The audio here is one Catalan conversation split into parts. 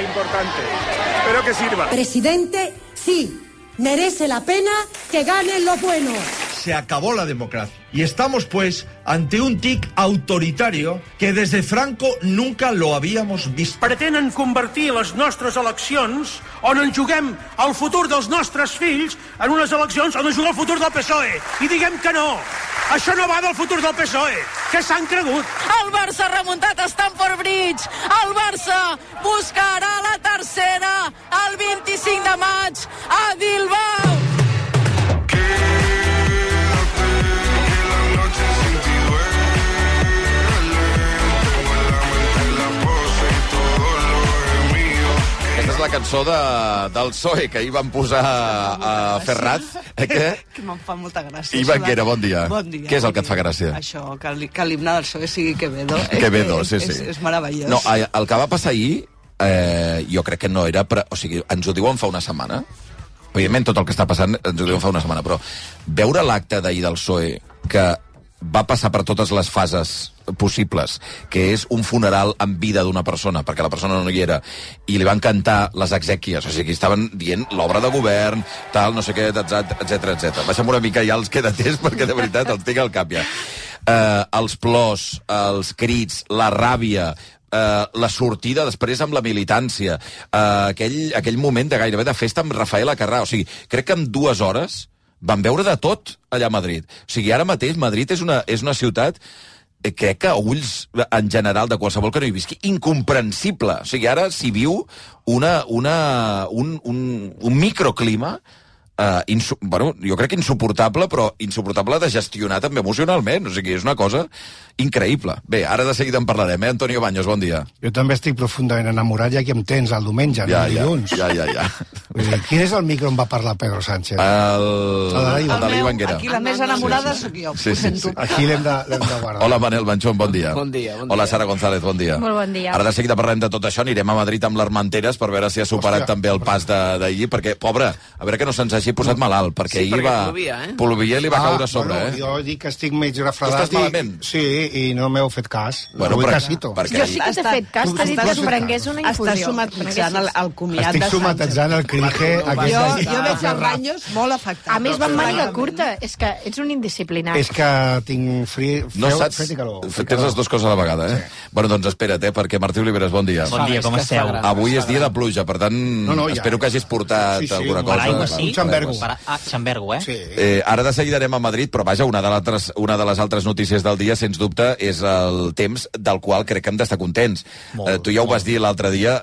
importante. Espero que sirva. Presidente, sí, merece la pena que gane lo bueno. Se acabó la democracia. Y estamos, pues, ante un tic autoritario que desde Franco nunca lo habíamos visto. Pretenen convertir les nostres eleccions, on en juguem el futur dels nostres fills, en unes eleccions on en juga el futur del PSOE. I diguem que no. Això no va del futur del PSOE. Què s'han cregut? El Barça ha remuntat a Stamford Bridge. El Barça buscarà la tercera el 25 de maig a Bilbao. Aquesta és la cançó del PSOE, que ahir van posar a Ferraz. Que me'n fa molta gràcia. Ivan Guera, bon dia. Bon dia. Què és el que et fa gràcia? Això, que l'himne del PSOE sigui Quevedo. Quevedo, sí. És meravellós. No, el que va passar ahir, jo crec que no era... O sigui, ens ho diuen fa una setmana. Evidentment, tot el que està passant ens ho diuen fa una setmana, però veure l'acte d'ahir del PSOE, que va passar per totes les fases possibles, que és un funeral en vida d'una persona, perquè la persona no hi era, i li van cantar les exèquies, o sigui, estaven dient l'obra de govern, tal, no sé què, etc. Baixa'm una mica ja els quedaters, perquè de veritat els tinc al cap ja. Els plors, els crits, la ràbia, la sortida després amb la militància, aquell moment de gairebé de festa amb Rafael Acarrà, o sigui, crec que en 2 hores van veure de tot allà a Madrid. O sigui, ara mateix Madrid és una ciutat, crec que a ulls en general de qualsevol que no hi visqui, incomprensible. O sigui, ara s'hi viu un microclima, bueno, jo crec que insuportable, però insuportable de gestionar també emocionalment. O sigui, és una cosa increïble. Bé, ara de seguida en parlarem, Antonio Baños, bon dia. Jo també estic profundament enamorat, ja que em tens el diumenge, no el dilluns. Ja. Quin és el micro on va parlar Pedro Sánchez? El de l'Ivan Guera. Aquí la més enamorada sóc jo. Sí. Aquí l'hem de guardar. Hola, Manel Banchón, bon dia. Bon dia. Hola, Sara González, bon dia. Molt bon dia. Ara de seguida parlem de tot això, anirem a Madrid amb l'Armenteres per veure si ha superat també el pas d'ahir, perquè, pobre, a veure que no se'ns hagi posat malalt, perquè ahir plovia i li va caure a sobre. Jo dic que estic mig refredat. Estàs malament? Sí, i no m'heu fet cas. Bueno, jo sí que t'he fet cas, t'he dit que es prengués una infusió. Estàs somatitzant el comiat de Sánchez. Estic somatitzant el cringe. Jo veig el Baños molt afectat. A més, va amb màniga curta. És que ets un indisciplinat. És que tinc fred i calor. Tens les dues coses a la vegada, eh? Bueno, doncs espera't, perquè Martí Oliveres, bon dia. Bon dia, com esteu? Avui és dia de pluja, per tant, espero que hagis portat alguna cosa. Un xambergo. Xambergo, eh? Sí. Ara de seguida anem a Madrid, però vaja, una de les altres notícies del dia, sens dubte, és el temps del qual crec que hem d'estar contents. Tu ja ho vas dir l'altre dia,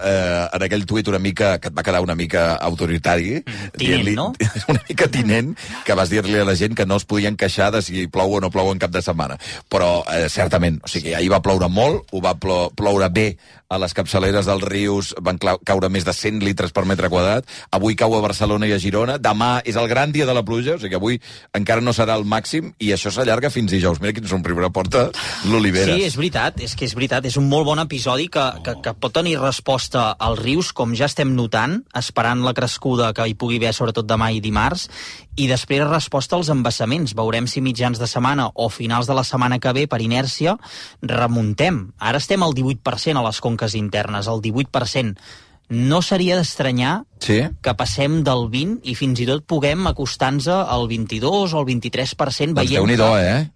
en aquell tuit una mica, que et va quedar una mica autoritari. Tinent, no? Una mica tinent, que vas dir-li a la gent que no es podien queixar de si plou o no plou en cap de setmana. Però, certament, o sigui, ahir va ploure molt, ho va ploure bé a les capçaleres dels rius, van caure més de 100 litres per metre quadrat. Avui cau a Barcelona i a Girona. Demà és el gran dia de la pluja, o sigui que avui encara no serà el màxim i això s'allarga fins dijous. Mira quin somriure porta l'Oliveres. Sí, és veritat, és un molt bon episodi que pot tenir resposta als rius, com ja estem notant, esperant la crescuda que hi pugui haver sobretot demà i dimarts, i després resposta als embassaments. Veurem si mitjans de setmana o finals de la setmana que ve, per inèrcia, remuntem. Ara estem al 18% a les conques internes, el 18%. No seria d'estranyar que passem del 20 i fins i tot puguem acostar-nos al 22 o al 23%. Doncs Déu-n'hi-do,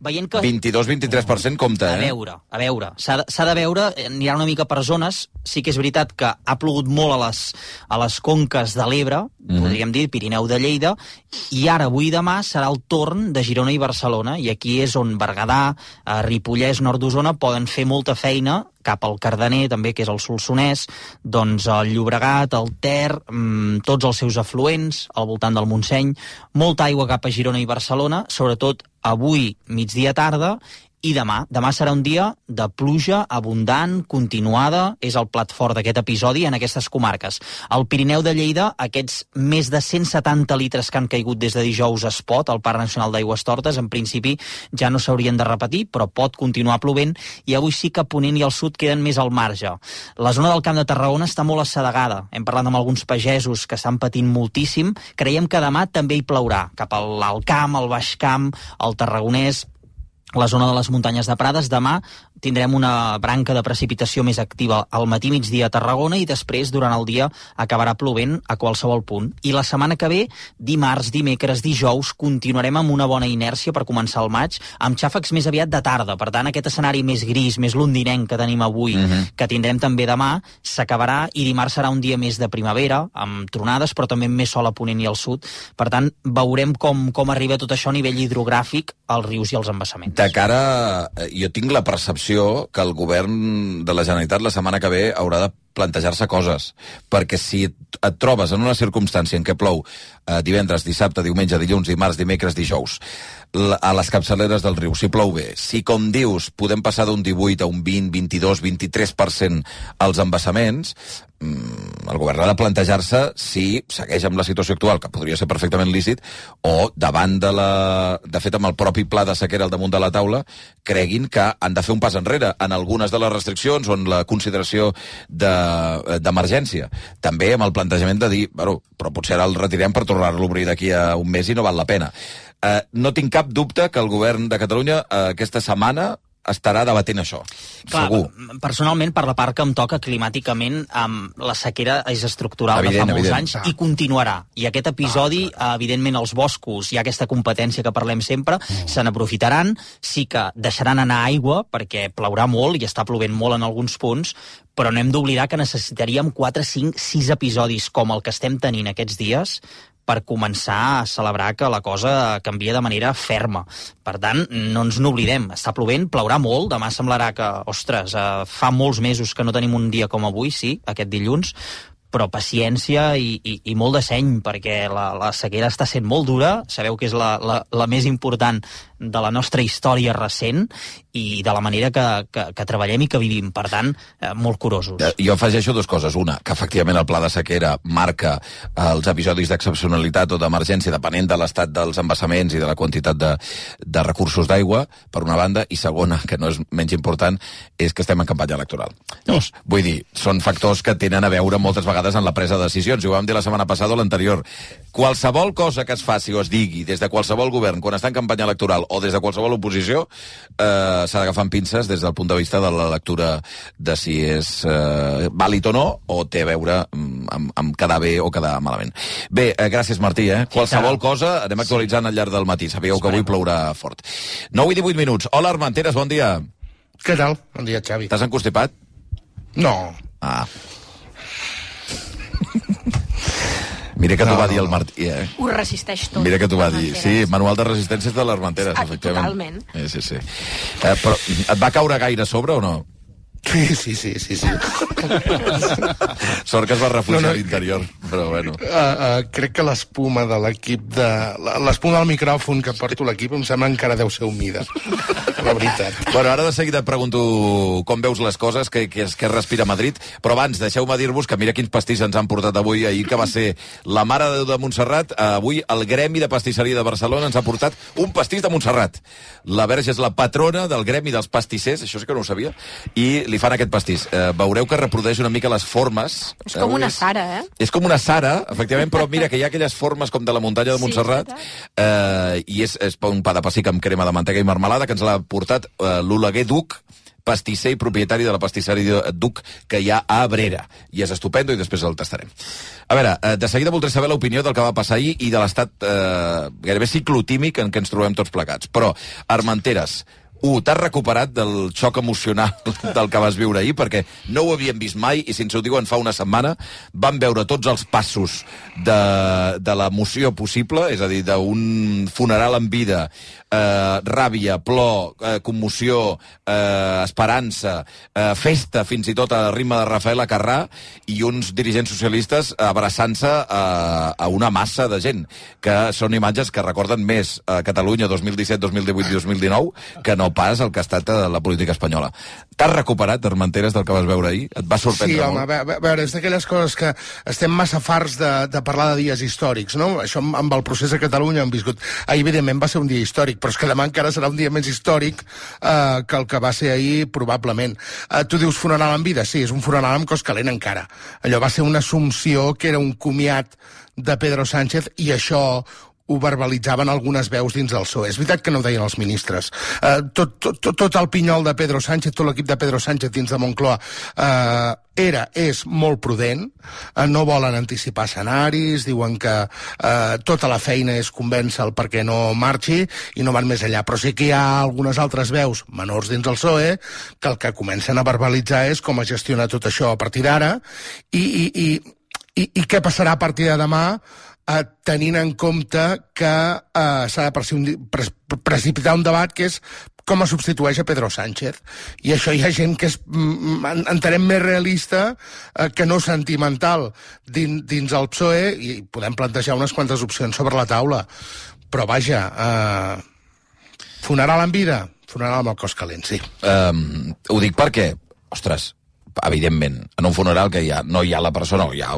veient que 22-23%, compte, A veure, s'ha de veure, anirà una mica per zones. Sí que és veritat que ha plogut molt a les conques de l'Ebre, podríem dir Pirineu de Lleida, i ara, avui i demà, serà el torn de Girona i Barcelona, i aquí és on Berguedà, Ripollès, nord d'Osona, poden fer molta feina cap al Cardener, també, que és el Solsonès, doncs el Llobregat, el Ter, tots els seus afluents, al voltant del Montseny, molta aigua cap a Girona i Barcelona, sobretot avui, migdia tarda, i demà. Demà serà un dia de pluja abundant, continuada, és el plat fort d'aquest episodi en aquestes comarques. Al Pirineu de Lleida, aquests més de 170 litres que han caigut des de dijous a Espot, al Parc Nacional d'Aigües Tortes, en principi ja no s'haurien de repetir, però pot continuar plovent, i avui sí que Ponent i el sud queden més al marge. La zona del Camp de Tarragona està molt assedegada. Hem parlat amb alguns pagesos que estan patint moltíssim. Creiem que demà també hi plourà, cap al Camp, al Baix Camp, al Tarragonès. la zona de les muntanyes de Prades. Demà tindrem una branca de precipitació més activa al matí, migdia a Tarragona, i després, durant el dia, acabarà plovent a qualsevol punt. I la setmana que ve, dimarts, dimecres, dijous, continuarem amb una bona inèrcia per començar el maig, amb xàfecs més aviat de tarda. Per tant, aquest escenari més gris, més londinenc que tenim avui, que tindrem també demà, s'acabarà, i dimarts serà un dia més de primavera, amb tronades, però també amb més sol a ponent i al sud. Per tant, veurem com arriba tot això a nivell hidrogràfic als rius i als embassaments. De cara, jo tinc la percepció que el govern de la Generalitat la setmana que ve haurà de plantejar-se coses, perquè si et trobes en una circumstància en què plou divendres, dissabte, diumenge, dilluns, dimarts, dimecres, dijous, a les capçaleres del riu, si plou bé, si, com dius, podem passar d'un 18 a un 20, 22, 23% als embassaments, el govern ha de plantejar-se si segueix amb la situació actual, que podria ser perfectament lícit, o davant de fet, amb el propi pla de sequera al damunt de la taula, creguin que han de fer un pas enrere en algunes de les restriccions o en la consideració d'emergència. També amb el plantejament de dir, bueno, però potser ara el retirem per tornar-lo a obrir d'aquí a un mes i no val la pena. No tinc cap dubte que el govern de Catalunya aquesta setmana estarà debatent això. Clar, segur. Personalment, per la part que em toca climàticament, la sequera és estructural de fa molts anys i continuarà. I aquest episodi, evidentment, els boscos, hi ha aquesta competència que parlem sempre, se n'aprofitaran, sí que deixaran anar aigua, perquè plourà molt i està plovent molt en alguns punts, però no hem d'oblidar que necessitaríem 4, 5, 6 episodis com el que estem tenint aquests dies per començar a celebrar que la cosa canvia de manera ferma. Per tant, no ens n'oblidem. Està plovent, plourà molt, demà semblarà que, ostres, fa molts mesos que no tenim un dia com avui, sí, aquest dilluns, però paciència i molt de seny, perquè la sequera està sent molt dura, sabeu que és la més important de la nostra història recent i de la manera que treballem i que vivim. Per tant, molt curosos. Jo afegeixo dues coses. Una, que efectivament el pla de sequera marca els episodis d'excepcionalitat o d'emergència depenent de l'estat dels embassaments i de la quantitat de recursos d'aigua, per una banda, i segona, que no és menys important, és que estem en campanya electoral. Llavors, vull dir, són factors que tenen a veure moltes vegades en la presa de decisions. Ho vam dir la setmana passada o l'anterior. Qualsevol cosa que es faci o es digui des de qualsevol govern quan està en campanya electoral o des de qualsevol oposició s'ha d'agafar amb pinces des del punt de vista de la lectura de si és vàlid o no, o té a veure amb quedar bé o quedar malament. Bé, gràcies, Martí. Qualsevol cosa anem actualitzant al llarg del matí. Sabíeu que avui plourà fort. 9 i 18 minuts. Hola, Armenteres, bon dia. Què tal? Bon dia, Xavi. T'has encostipat? No. Mira que t'ho va dir el Martí, Ho resisteix tot. Mira que t'ho va dir. Sí, manual de resistències de l'Armenteres, efectivament. Totalment. Sí. Però et va caure gaire a sobre o no? Sí. Sort que es va refugiar a l'interior, però bueno. Crec que l'espuma de l'equip l'espuma del micròfon que porto l'equip em sembla encara deu ser humida. La veritat. Bueno, ara de seguida et pregunto com veus les coses, què respira Madrid, però abans deixeu-me dir-vos que mira quins pastís ens han portat avui, ahir que va ser la Mare de Déu de Montserrat, avui el Gremi de Pastisseria de Barcelona ens ha portat un pastís de Montserrat. La Verge és la patrona del Gremi dels Pastissers, això sí que no ho sabia, i li fan aquest pastís. Veureu que reprodueix una mica les formes. És com una Sara, És com una Sara, efectivament, però mira que hi ha aquelles formes com de la muntanya de Montserrat, i és un pa de pessic amb crema de mantega i marmelada que ens l'ha portat l'Oleguer Duc, pastisser i propietari de la pastisseria Duc que hi ha a Abrera. I és estupendo i després el tastarem. A veure, de seguida voldré saber l'opinió del que va passar ahir i de l'estat gairebé ciclotímic en què ens trobem tots plegats. Però, Armenteres, t'has recuperat del xoc emocional del que vas viure ahir, perquè no ho havíem vist mai i, si ens ho diuen fa una setmana, vam veure tots els passos de l'emoció possible, és a dir, d'un funeral en vida, ràbia, plor, commoció, esperança, festa, fins i tot a ritme de Rafael Acarrà, i uns dirigents socialistes abraçant-se a una massa de gent, que són imatges que recorden més a Catalunya 2017, 2018 i 2019 que no pas el que ha estat la política espanyola. T'has recuperat, Armenteres, del que vas veure ahir? Et va sorprendre molt? Sí, home, a veure, és d'aquelles coses que estem massa farts de parlar de dies històrics, no? Això amb el procés a Catalunya hem viscut. Ahir, evidentment, va ser un dia històric, però és que demà encara serà un dia més històric que el que va ser ahir, probablement. Tu dius funeral en vida? Sí, és un funeral amb cos calent encara. Allò va ser una assumpció que era un comiat de Pedro Sánchez, i això ho verbalitzaven algunes veus dins del PSOE. És veritat que no ho deien els ministres. Tot el pinyol de Pedro Sánchez, tot l'equip de Pedro Sánchez dins de Moncloa és molt prudent, no volen anticipar escenaris, diuen que tota la feina és convèncer-lo perquè no marxi i no van més enllà. Però sí que hi ha algunes altres veus menors dins del PSOE que el que comencen a verbalitzar és com es gestiona tot això a partir d'ara i què passarà a partir de demà tenint en compte que s'ha de precipitar un debat que és com es substitueix a Pedro Sánchez. I això hi ha gent que és, entenem, més realista que no sentimental dins el PSOE i podem plantejar unes quantes opcions sobre la taula. Però vaja, funeral en vida, funeral amb el cos calent, sí. Ho dic perquè, ostres, evidentment, en un funeral que no hi ha la persona, hi ha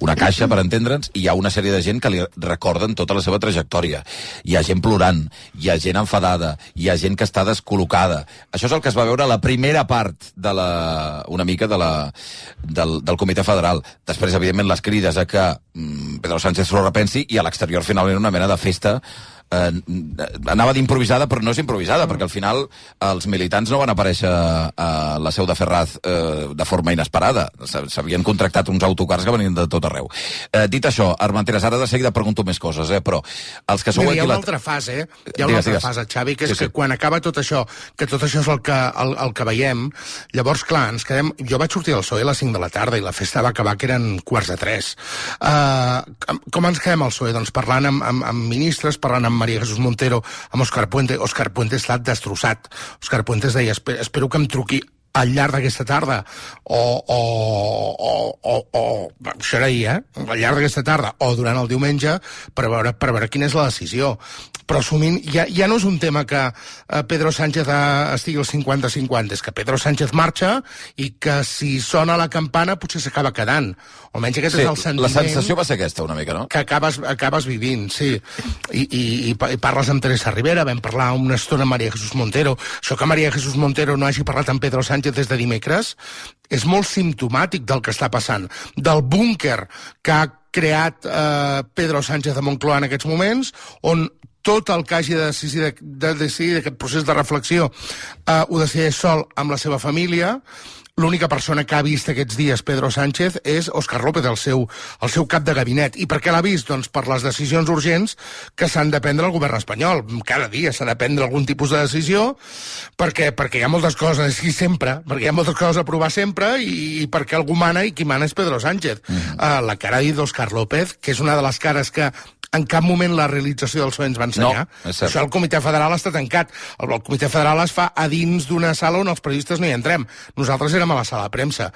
una caixa, per entendre'ns, i hi ha una sèrie de gent que li recorden tota la seva trajectòria. Hi ha gent plorant, hi ha gent enfadada, hi ha gent que està descol·locada. Això és el que es va veure a la primera part una mica del Comitè Federal. Després, evidentment, les crides a que Pedro Sánchez s'ho repensi i a l'exterior finalment una mena de festa anava d'improvisada, però no és improvisada, perquè al final els militants no van aparèixer a la seu de Ferraz de forma inesperada. S'havien contractat uns autocars que venien de tot arreu. Dit això, Armenteres, ara de seguida pregunto més coses, però els que sou aquí... Hi ha una altra fase, Hi ha una altra fase, Xavi, que és que quan acaba tot això, que tot això és el que veiem, llavors, clar, ens quedem... Jo vaig sortir del PSOE a les 5 de la tarda i la festa va acabar que eren 2:45. Com ens quedem al PSOE? Doncs parlant amb ministres, parlant amb María Jesús Montero, amb Òscar Puente. Òscar Puente està destrossat. Òscar Puente deia, espero que em truqui al llarg d'aquesta tarda, això era ahir, al llarg d'aquesta tarda, o durant el diumenge, per veure quina és la decisió. Però assumint, ja no és un tema que Pedro Sánchez estigui al 50-50, és que Pedro Sánchez marxa i que si sona la campana potser s'acaba quedant. O almenys aquest és el sentiment... La sensació va ser aquesta, una mica, no? Que acabes vivint, sí. I parles amb Teresa Rivera, vam parlar una estona amb María Jesús Montero. Això que María Jesús Montero no hagi parlat amb Pedro Sánchez des de dimecres és molt simptomàtic del que està passant, del búnquer que ha creat Pedro Sánchez a Moncloa en aquests moments, on tot el que hagi de decidir aquest procés de reflexió ho decideix sol amb la seva família. L'única persona que ha vist aquests dies Pedro Sánchez és Óscar López, el seu cap de gabinet. I per què l'ha vist? Doncs per les decisions urgents que s'han de prendre al govern espanyol. Cada dia s'ha de prendre algun tipus de decisió perquè hi ha moltes coses, i sempre, perquè hi ha moltes coses a aprovar sempre i perquè algú mana i qui mana és Pedro Sánchez. La cara d'Óscar López, que és una de les cares que en cap moment la realització del PSOE ens va ensenyar. No, això el Comitè Federal està tancat. El Comitè Federal es fa a dins d'una sala on els periodistes no hi entrem. Nosaltres érem a la sala de premsa.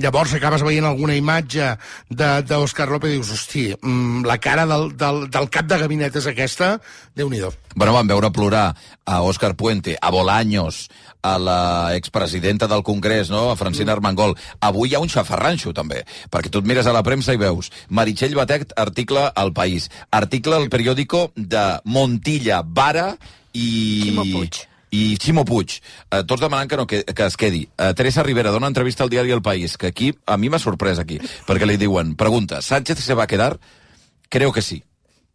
Llavors acabes veient alguna imatge d'Óscar López i dius, hosti, la cara del cap de gabinet és aquesta, Déu-n'hi-do. Bueno, vam veure plorar a Óscar Puente, a Bolaños, a la expresidenta del Congrés, no? A Francina Armengol. Avui hi ha un xafarranxo, també, perquè tu et mires a la premsa i veus Meritxell Batet, article al País, article al periòdico de Montilla, Vara i Ximo Puig. Tots demanant que es quedi. Teresa Rivera dona entrevista al diari El País, que aquí, a mi m'ha sorprès aquí, perquè li diuen, pregunta, ¿Sánchez se va a quedar? Creo que sí.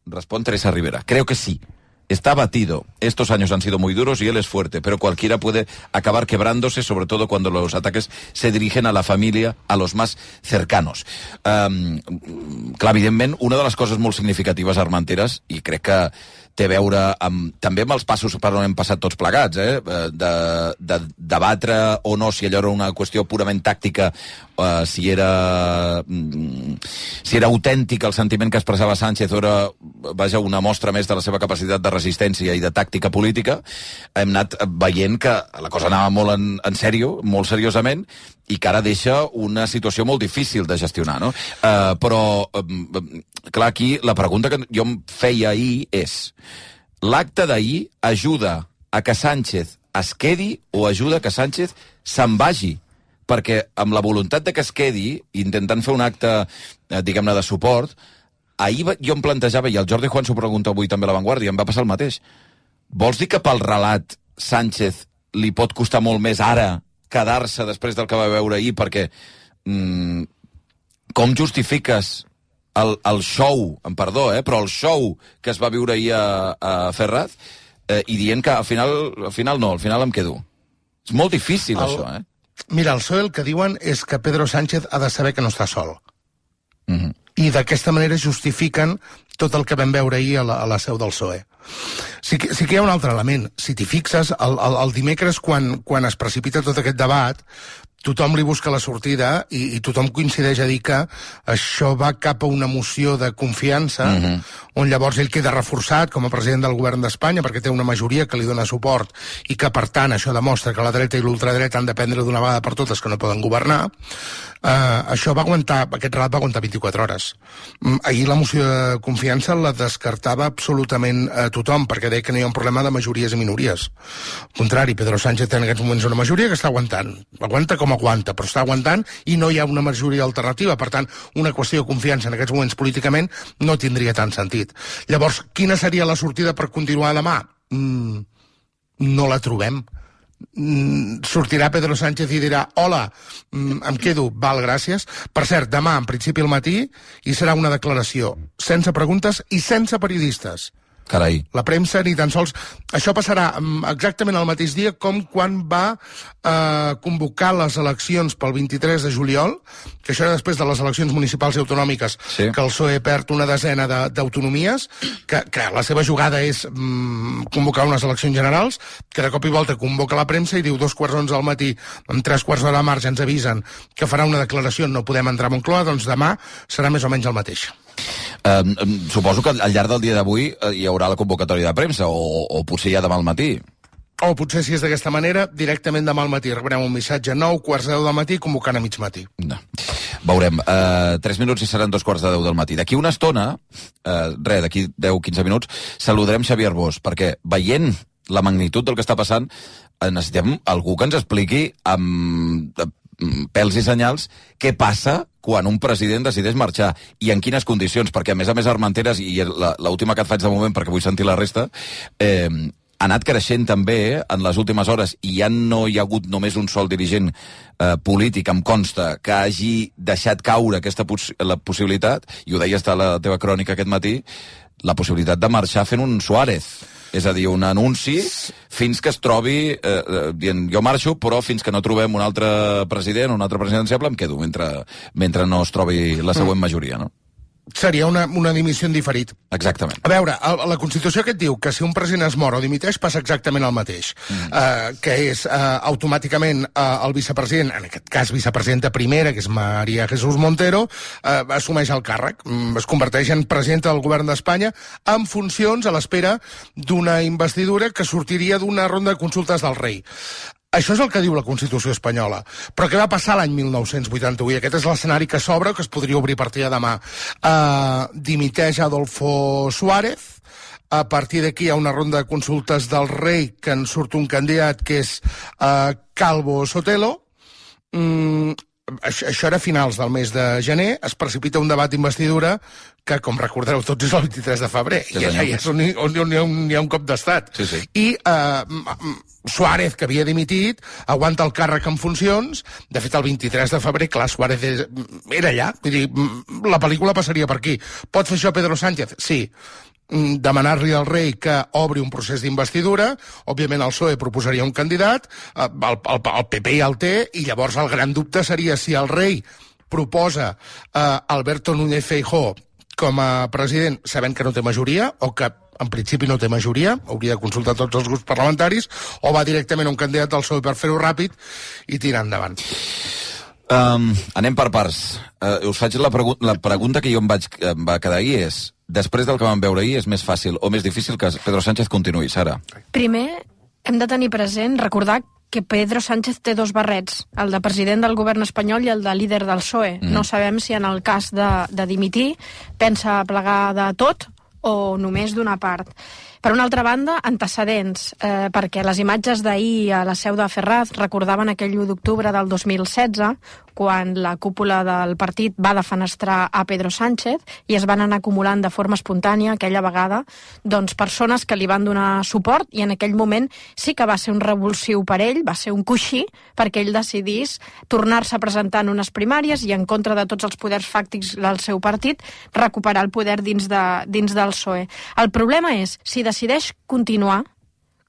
Responde Teresa Rivera, creo que sí. Está abatido. Estos años han sido muy duros y él es fuerte, pero cualquiera puede acabar quebrándose, sobre todo cuando los ataques se dirigen a la familia, a los más cercanos. Clar, evidentment, una de les coses molt significatives, Armenteres, i crec que té a veure també amb els passos per on hem passat tots plegats, de debatre o no si allò era una qüestió purament tàctica, si era autèntic el sentiment que expressava Sánchez o era, vaja, una mostra més de la seva capacitat de resistència i de tàctica política. Hem anat veient que la cosa anava molt en sèrio, molt seriosament, i que ara deixa una situació molt difícil de gestionar, no? Però, clar, aquí la pregunta que jo em feia ahir és: l'acte d'ahir ajuda a que Sánchez es quedi o ajuda que Sánchez se'n vagi? Perquè amb la voluntat de que es quedi, intentant fer un acte, diguem-ne, de suport, ahir jo em plantejava, i el Jordi Juan s'ho pregunta avui també a La Vanguardia, em va passar el mateix. Vols dir que pel relat Sánchez li pot costar molt més ara quedar-se després del que va veure ahir? Perquè com justifiques el show, em perdó, però el show que es va viure ahir a Ferraz, i dient que al final em quedo. És molt difícil, això, Mira, el PSOE el que diuen és que Pedro Sánchez ha de saber que no està sol. I d'aquesta manera justifiquen tot el que vam veure ahir a la seu del PSOE. Sí que hi ha un altre element. Si t'hi fixes, el dimecres, quan es precipita tot aquest debat, tothom li busca la sortida i tothom coincideix a dir que això va cap a una moció de confiança, on llavors ell queda reforçat com a president del govern d'Espanya perquè té una majoria que li dona suport i que, per tant, això demostra que la dreta i l'ultradreta han de prendre d'una vegada per totes que no poden governar. Això aquest relat va aguantar 24 hores. Ahir la moció de confiança la descartava absolutament tothom, perquè deia que no hi ha un problema de majories i minories. Al contrari, Pedro Sánchez té en aquests moments una majoria que està aguantant. Aguanta com aguanta, però està aguantant i no hi ha una majoria alternativa. Per tant, una qüestió de confiança en aquests moments políticament no tindria tant sentit. Llavors, quina seria la sortida per continuar demà? No la trobem. Sortirà Pedro Sánchez i dirà hola, em quedo, val, gràcies. Per cert, demà, en principi al matí, hi serà una declaració sense preguntes i sense periodistes. Carai. La premsa ni tan sols... Això passarà exactament el mateix dia com quan va convocar les eleccions pel 23 de juliol, que això era després de les eleccions municipals i autonòmiques, que el PSOE perd una desena d'autonomies, que la seva jugada és convocar unes eleccions generals, que de cop i volta convoca la premsa i diu 2:11 al matí, amb 3/4 d'hora de marge ens avisen que farà una declaració, no podem entrar a Moncloa, doncs demà serà més o menys el mateix. Suposo que al llarg del dia d'avui hi haurà la convocatòria de premsa, o potser ja demà al matí. O potser, si és d'aquesta manera, directament demà al matí rebrem un missatge 9:10 del matí convocant a mig matí. No. Veurem. 3 minuts i seran 2:10 del matí. D'aquí una estona, d'aquí 10-15 minuts, saludarem Xavier Bosch, perquè veient la magnitud del que està passant, necessitem algú que ens expliqui amb pèls i senyals què passa quan un president decideix marxar i en quines condicions, perquè a més Armenteres, i l'última que et faig de moment perquè vull sentir la resta, ha anat creixent també en les últimes hores i ja no hi ha hagut només un sol dirigent polític, em consta, que hagi deixat caure la possibilitat, i ho deies a la teva crònica aquest matí, la possibilitat de marxar fent un Suárez. És a dir, un anunci fins que es trobi, dient jo marxo, però fins que no trobem un altre president, un altre presidenciable, em quedo mentre no es trobi la següent majoria, no? Seria una dimissió en diferit. Exactament. A veure, la Constitució que et diu que si un president es mor o dimiteix passa exactament el mateix, que és automàticament el vicepresident, en aquest cas vicepresidenta primera, que és María Jesús Montero, assumeix el càrrec, es converteix en presidenta del govern d'Espanya en funcions a l'espera d'una investidura que sortiria d'una ronda de consultes del rei. Això és el que diu la Constitució espanyola. Però què va passar l'any 1981? Aquest és l'escenari que s'obre, que es podria obrir a partir de demà. Dimiteix Adolfo Suárez. A partir d'aquí hi ha una ronda de consultes del rei que en surt un candidat que és Calvo Sotelo. Això era a finals del mes de gener. Es precipita un debat d'investidura que, com recordareu tots, és el 23 de febrer. I allà és on hi ha un cop d'estat. I Suárez, que havia dimitit, aguanta el càrrec en funcions. De fet, el 23 de febrer, clar, Suárez era allà. Vull dir, la pel·lícula passaria per aquí. Pot fer això Pedro Sánchez? Sí. Demanar-li al rei que obri un procés d'investidura, òbviament el PSOE proposaria un candidat, el PP ja el té, i llavors el gran dubte seria si el rei proposa Alberto Núñez Feijóo com a president, sabent que no té majoria, o que en principi no té majoria, hauria de consultar tots els grups parlamentaris, o va directament a un candidat del PSOE per fer-ho ràpid i tirar endavant. Anem per parts. Us faig la pregunta que jo em va quedar ahir és, després del que vam veure ahir, és més fàcil o més difícil que Pedro Sánchez continuï, Sara? Primer, hem de tenir present, recordar que Pedro Sánchez té dos barrets, el de president del govern espanyol i el de líder del PSOE. No sabem si en el cas de dimitir pensa plegar de tot o només d'una part. Per una altra banda, antecedents, perquè les imatges d'ahir a la seu de Ferraz recordaven aquell 1 d'octubre del 2016, quan la cúpula del partit va defenestrar a Pedro Sánchez i es van anar acumulant de forma espontània aquella vegada doncs, persones que li van donar suport, i en aquell moment sí que va ser un revulsiu per ell, va ser un coixí perquè ell decidís tornar-se a presentar en unes primàries i en contra de tots els poders fàctics del seu partit recuperar el poder dins del PSOE. El problema és, si decideix continuar,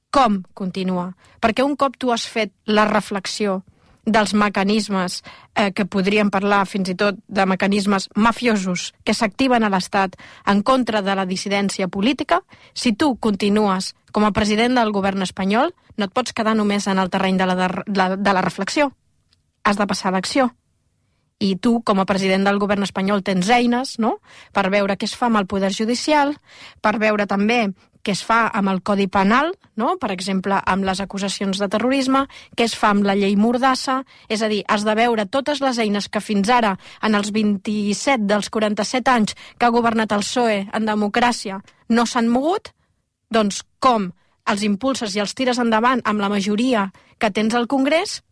com continua? Perquè un cop tu has fet la reflexió dels mecanismes que podríem parlar fins i tot de mecanismes mafiosos que s'activen a l'Estat en contra de la dissidència política, si tu continues com a president del govern espanyol, no et pots quedar només en el terreny de la reflexió. Has de passar a l'acció. I tu, com a president del govern espanyol, tens eines, no?, per veure què es fa amb el poder judicial, per veure també què es fa amb el Codi Penal, no?, per exemple, amb les acusacions de terrorisme, què es fa amb la llei Mordassa, és a dir, has de veure totes les eines que fins ara, en els 27 dels 47 anys que ha governat el PSOE en democràcia, no s'han mogut, doncs com els impulses i els tires endavant amb la majoria que tens al Congrés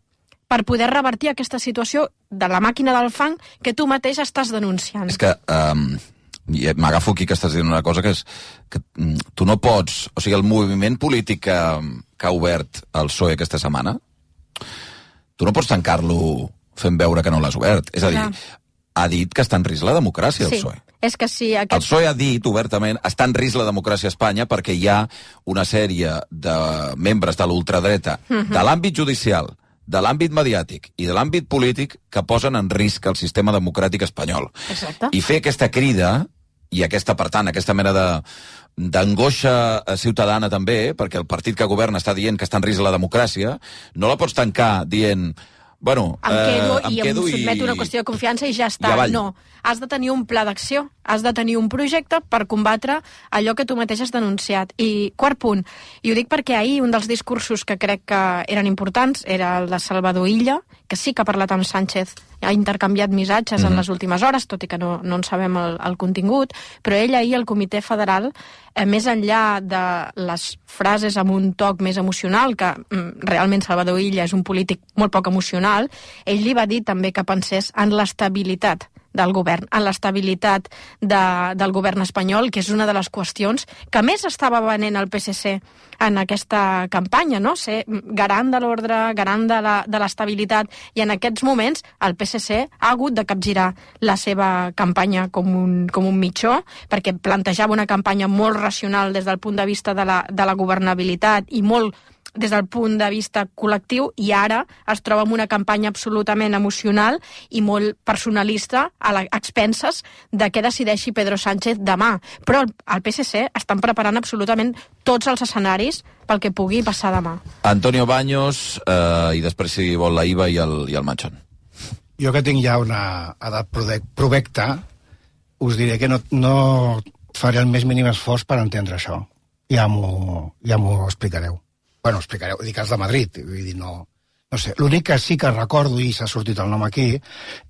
per poder revertir aquesta situació de la màquina del fang que tu mateix estàs denunciant. És que m'agafo aquí que estàs dient una cosa que és que tu no pots... O sigui, el moviment polític que ha obert el PSOE aquesta setmana, tu no pots tancar-lo fent veure que no l'has obert. És a dir, ha dit que està en risc la democràcia, el PSOE. És que sí, El PSOE ha dit obertament està en risc la democràcia a Espanya perquè hi ha una sèrie de membres de l'ultradreta de l'àmbit judicial, de l'àmbit mediàtic i de l'àmbit polític que posen en risc el sistema democràtic espanyol. Exacte. I fer aquesta crida i aquesta, per tant, aquesta mena d'angoixa ciutadana també, perquè el partit que governa està dient que està en risc la democràcia, no la pots tancar dient... Bueno, em quedo i sotmeto una qüestió de confiança i ja està. No, has de tenir un pla d'acció, has de tenir un projecte per combatre allò que tu mateix has denunciat. I quart punt, i ho dic perquè ahir un dels discursos que crec que eren importants era el de Salvador Illa, que sí que ha parlat amb Sánchez, ha intercanviat missatges en les últimes hores, tot i que no en sabem el contingut, però ell ahir al Comitè Federal, més enllà de les frases amb un toc més emocional, que realment Salvador Illa és un polític molt poc emocional, ell li va dir també que pensés en l'estabilitat del govern, en l'estabilitat del govern espanyol, que és una de les qüestions que més estava venent el PSC en aquesta campanya, no? Ser garant de l'ordre, garant de l'estabilitat, i en aquests moments el PSC ha hagut de capgirar la seva campanya com un mitjó, perquè plantejava una campanya molt racional des del punt de vista de la governabilitat i molt des del punt de vista col·lectiu, i ara es troba en una campanya absolutament emocional i molt personalista a expenses de què decideixi Pedro Sánchez demà. Però al PSC estan preparant absolutament tots els escenaris pel que pugui passar demà. Antonio Baños, i després si vol la Iva i el Manchón. Jo que tinc ja una edat provecta, us diré que no faré el més mínim esforç per entendre això. Ja m'ho explicareu. Bueno, explicareu, dic els de Madrid, vull dir, no sé. L'únic que sí que recordo, i s'ha sortit el nom aquí,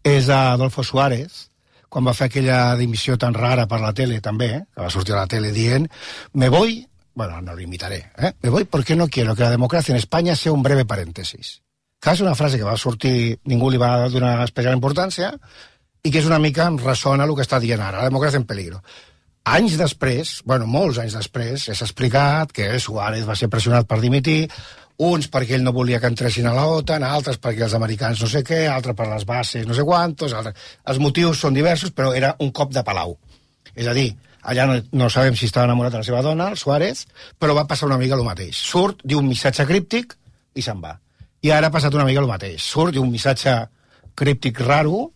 és Adolfo Suárez, quan va fer aquella dimissió tan rara per la tele, també, que va sortir a la tele dient, me voy, bueno, no lo imitaré, me voy porque no quiero que la democracia en España sea un breve paréntesis. Que és una frase que va sortir, ningú li va donar especial importància, i que és una mica en ressona el que està dient ara, la democràcia en peligro. Anys després, bueno, molts anys després, s'ha explicat que Suárez va ser pressionat per dimitir, uns perquè ell no volia que entressin a l'OTAN, altres perquè els americans no sé què, altres per les bases no sé quantos, altres... Els motius són diversos, però era un cop de palau. És a dir, allà no sabem si estava enamorat de la seva dona, el Suárez, però va passar una mica el mateix. Surt, diu un missatge críptic i se'n va. I ara ha passat una mica el mateix. Surt, diu un missatge críptic raro,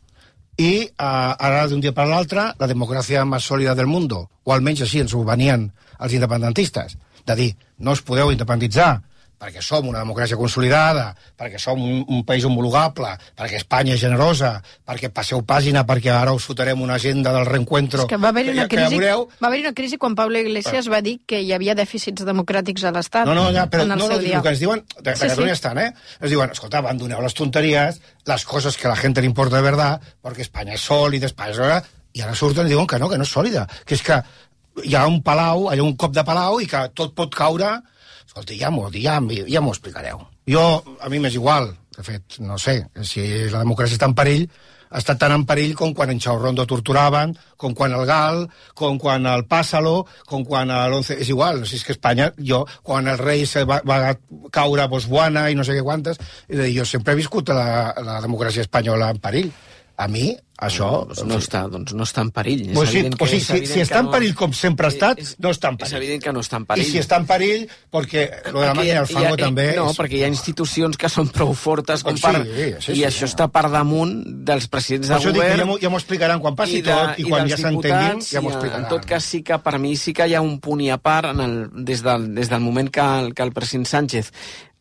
i ara d'un dia per l'altre la democràcia més sòlida del món, o almenys així ens ho venien els independentistes, de dir no us podeu independitzar perquè som una democràcia consolidada, perquè som un país homologable, perquè Espanya és generosa, perquè passeu pàgina, perquè ara us fotrem una agenda del reencuentro. És que va haver-hi una crisi quan Pablo Iglesias va dir que hi havia dèficits democràtics a l'Estat. No, però el que ens diuen, de Catalunya estan, ens diuen, escolta, abandoneu les tonteries, les coses que a la gent li importa de verdad, perquè Espanya és sòlida, i ara surten i diuen que no és sòlida, que és que hi ha un palau, hi ha un cop de palau i que tot pot caure. Escolta, ja m'ho explicareu. A mi m'és igual, de fet, no sé, si la democràcia està en perill, ha estat tan en perill com quan en Chaurrondo torturaven, com quan el GAL, com quan el Pásalo, com quan l'11... És igual, no sé, és que Espanya, quan el rei va caure a Botswana i no sé què quantes, jo sempre he viscut la democràcia espanyola en perill. A mi, això... No està en perill. Si està en perill com sempre ha estat, no està en perill. És evident que no està en perill. I si està en perill, perquè lo de la màquina del fango també... No, perquè hi ha institucions que són prou fortes com per... I això està per damunt dels presidents de govern... Ja m'ho explicaran quan passi tot i quan ja s'entenguin, ja m'ho explicaran. En tot cas, sí que per mi sí que hi ha un punt i a part des del moment que el president Sánchez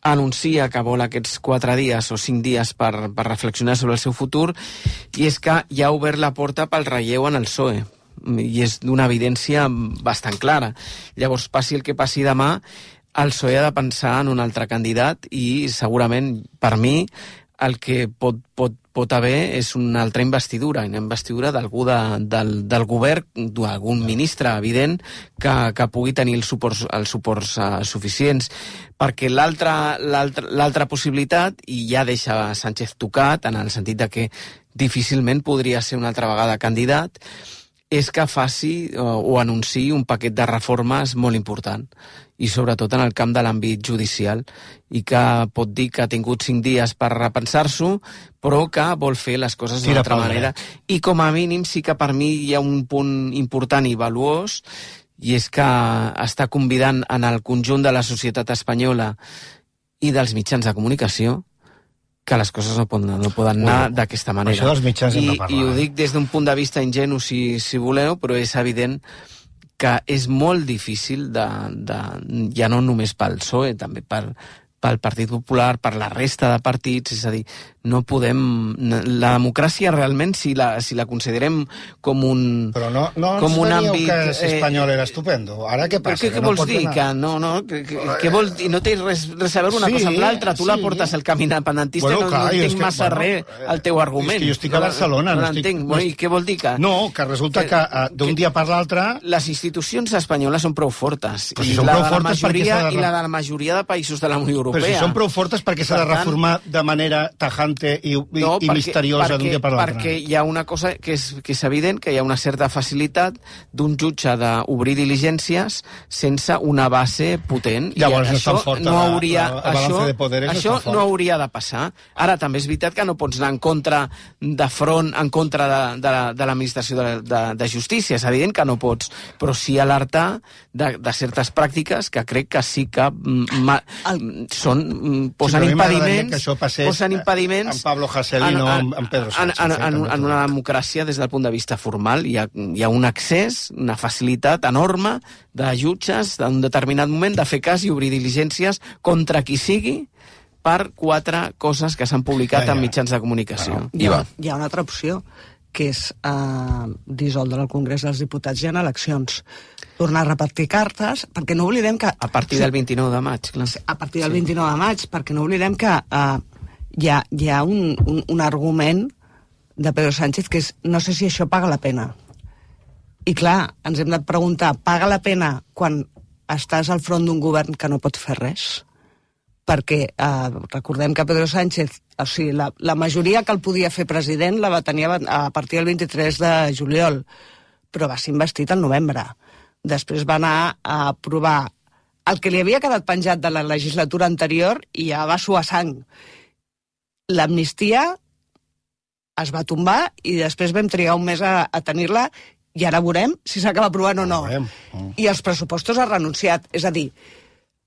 anuncia que vol aquests 4 dies o 5 dies per reflexionar sobre el seu futur, i és que ja ha obert la porta pel relleu en el PSOE, i és d'una evidència bastant clara. Llavors, passi el que passi demà, el PSOE ha de pensar en un altre candidat, i segurament, per mi, el que pot haver és una altra investidura, una investidura d'algú del govern, d'algun ministre evident, que pugui tenir els suports suficients. Perquè l'altra possibilitat, i ja deixa Sánchez tocat, en el sentit de que difícilment podria ser una altra vegada candidat, és que faci o anunciï un paquet de reformes molt important, i sobretot en el camp de l'àmbit judicial, i que pot dir que ha tingut 5 dies per repensar-s'ho, però que vol fer les coses d'una altra manera. I com a mínim sí que per mi hi ha un punt important i valuós, i és que està convidant en el conjunt de la societat espanyola i dels mitjans de comunicació que les coses no poden anar d'aquesta manera. Això dels mitjans hem de parlar. I ho dic des d'un punt de vista ingenu, si voleu, però és evident que és molt difícil, ja no només pel PSOE, també pel Partit Popular, per la resta de partits, és a dir, no podem... La democràcia realment, si la considerem com un... Però no ens teníeu que ser espanyol era estupendo. Ara què passa? Què vols dir? Què vols dir? No té res a veure una cosa amb l'altra. Tu la portes al camí independentista i no entenc massa res al teu argument. És que jo estic a Barcelona. No l'entenc. I què vol dir que... No, que resulta que d'un dia per l'altre... Les institucions espanyoles són prou fortes. I la de la majoria de països de la Unió Europea. Però si són prou fortes, perquè s'ha de reformar de manera tajante i misteriosa d'un dia per l'altre. Perquè hi ha una cosa que és evident, que hi ha una certa facilitat d'un jutge d'obrir diligències sense una base potent. Llavors això no hauria, això no hauria de passar. Ara, també és veritat que no pots anar de front en contra de l'administració de justícia. És evident que no pots, però sí alertar de certes pràctiques que crec que sí que posen impediments amb Pablo Hasél i no amb Pedro Sánchez. En una democràcia, des del punt de vista formal, hi ha un accés, una facilitat enorme de jutges d'un determinat moment de fer cas i obrir diligències contra qui sigui per 4 coses que s'han publicat en mitjans de comunicació. Hi ha una altra opció, que és dissoldre el Congrés dels Diputats i en eleccions. Tornar a repartir cartes, perquè no oblidem que... A partir del 29 de maig, clar. A partir del 29 de maig, perquè no oblidem que hi ha un argument de Pedro Sánchez que és no sé si això paga la pena. I clar, ens hem de preguntar, paga la pena quan estàs al front d'un govern que no pot fer res? Perquè recordem que Pedro Sánchez, o sigui, la majoria que el podia fer president la va tenir a partir del 23 de juliol, però va ser investit al novembre. Després va anar a aprovar el que li havia quedat penjat de la legislatura anterior i ja va suar sang. L'amnistia es va tombar i després vam trigar un mes a tenir-la i ara veurem si s'acaba aprovant o no. I els pressupostos ha renunciat. És a dir,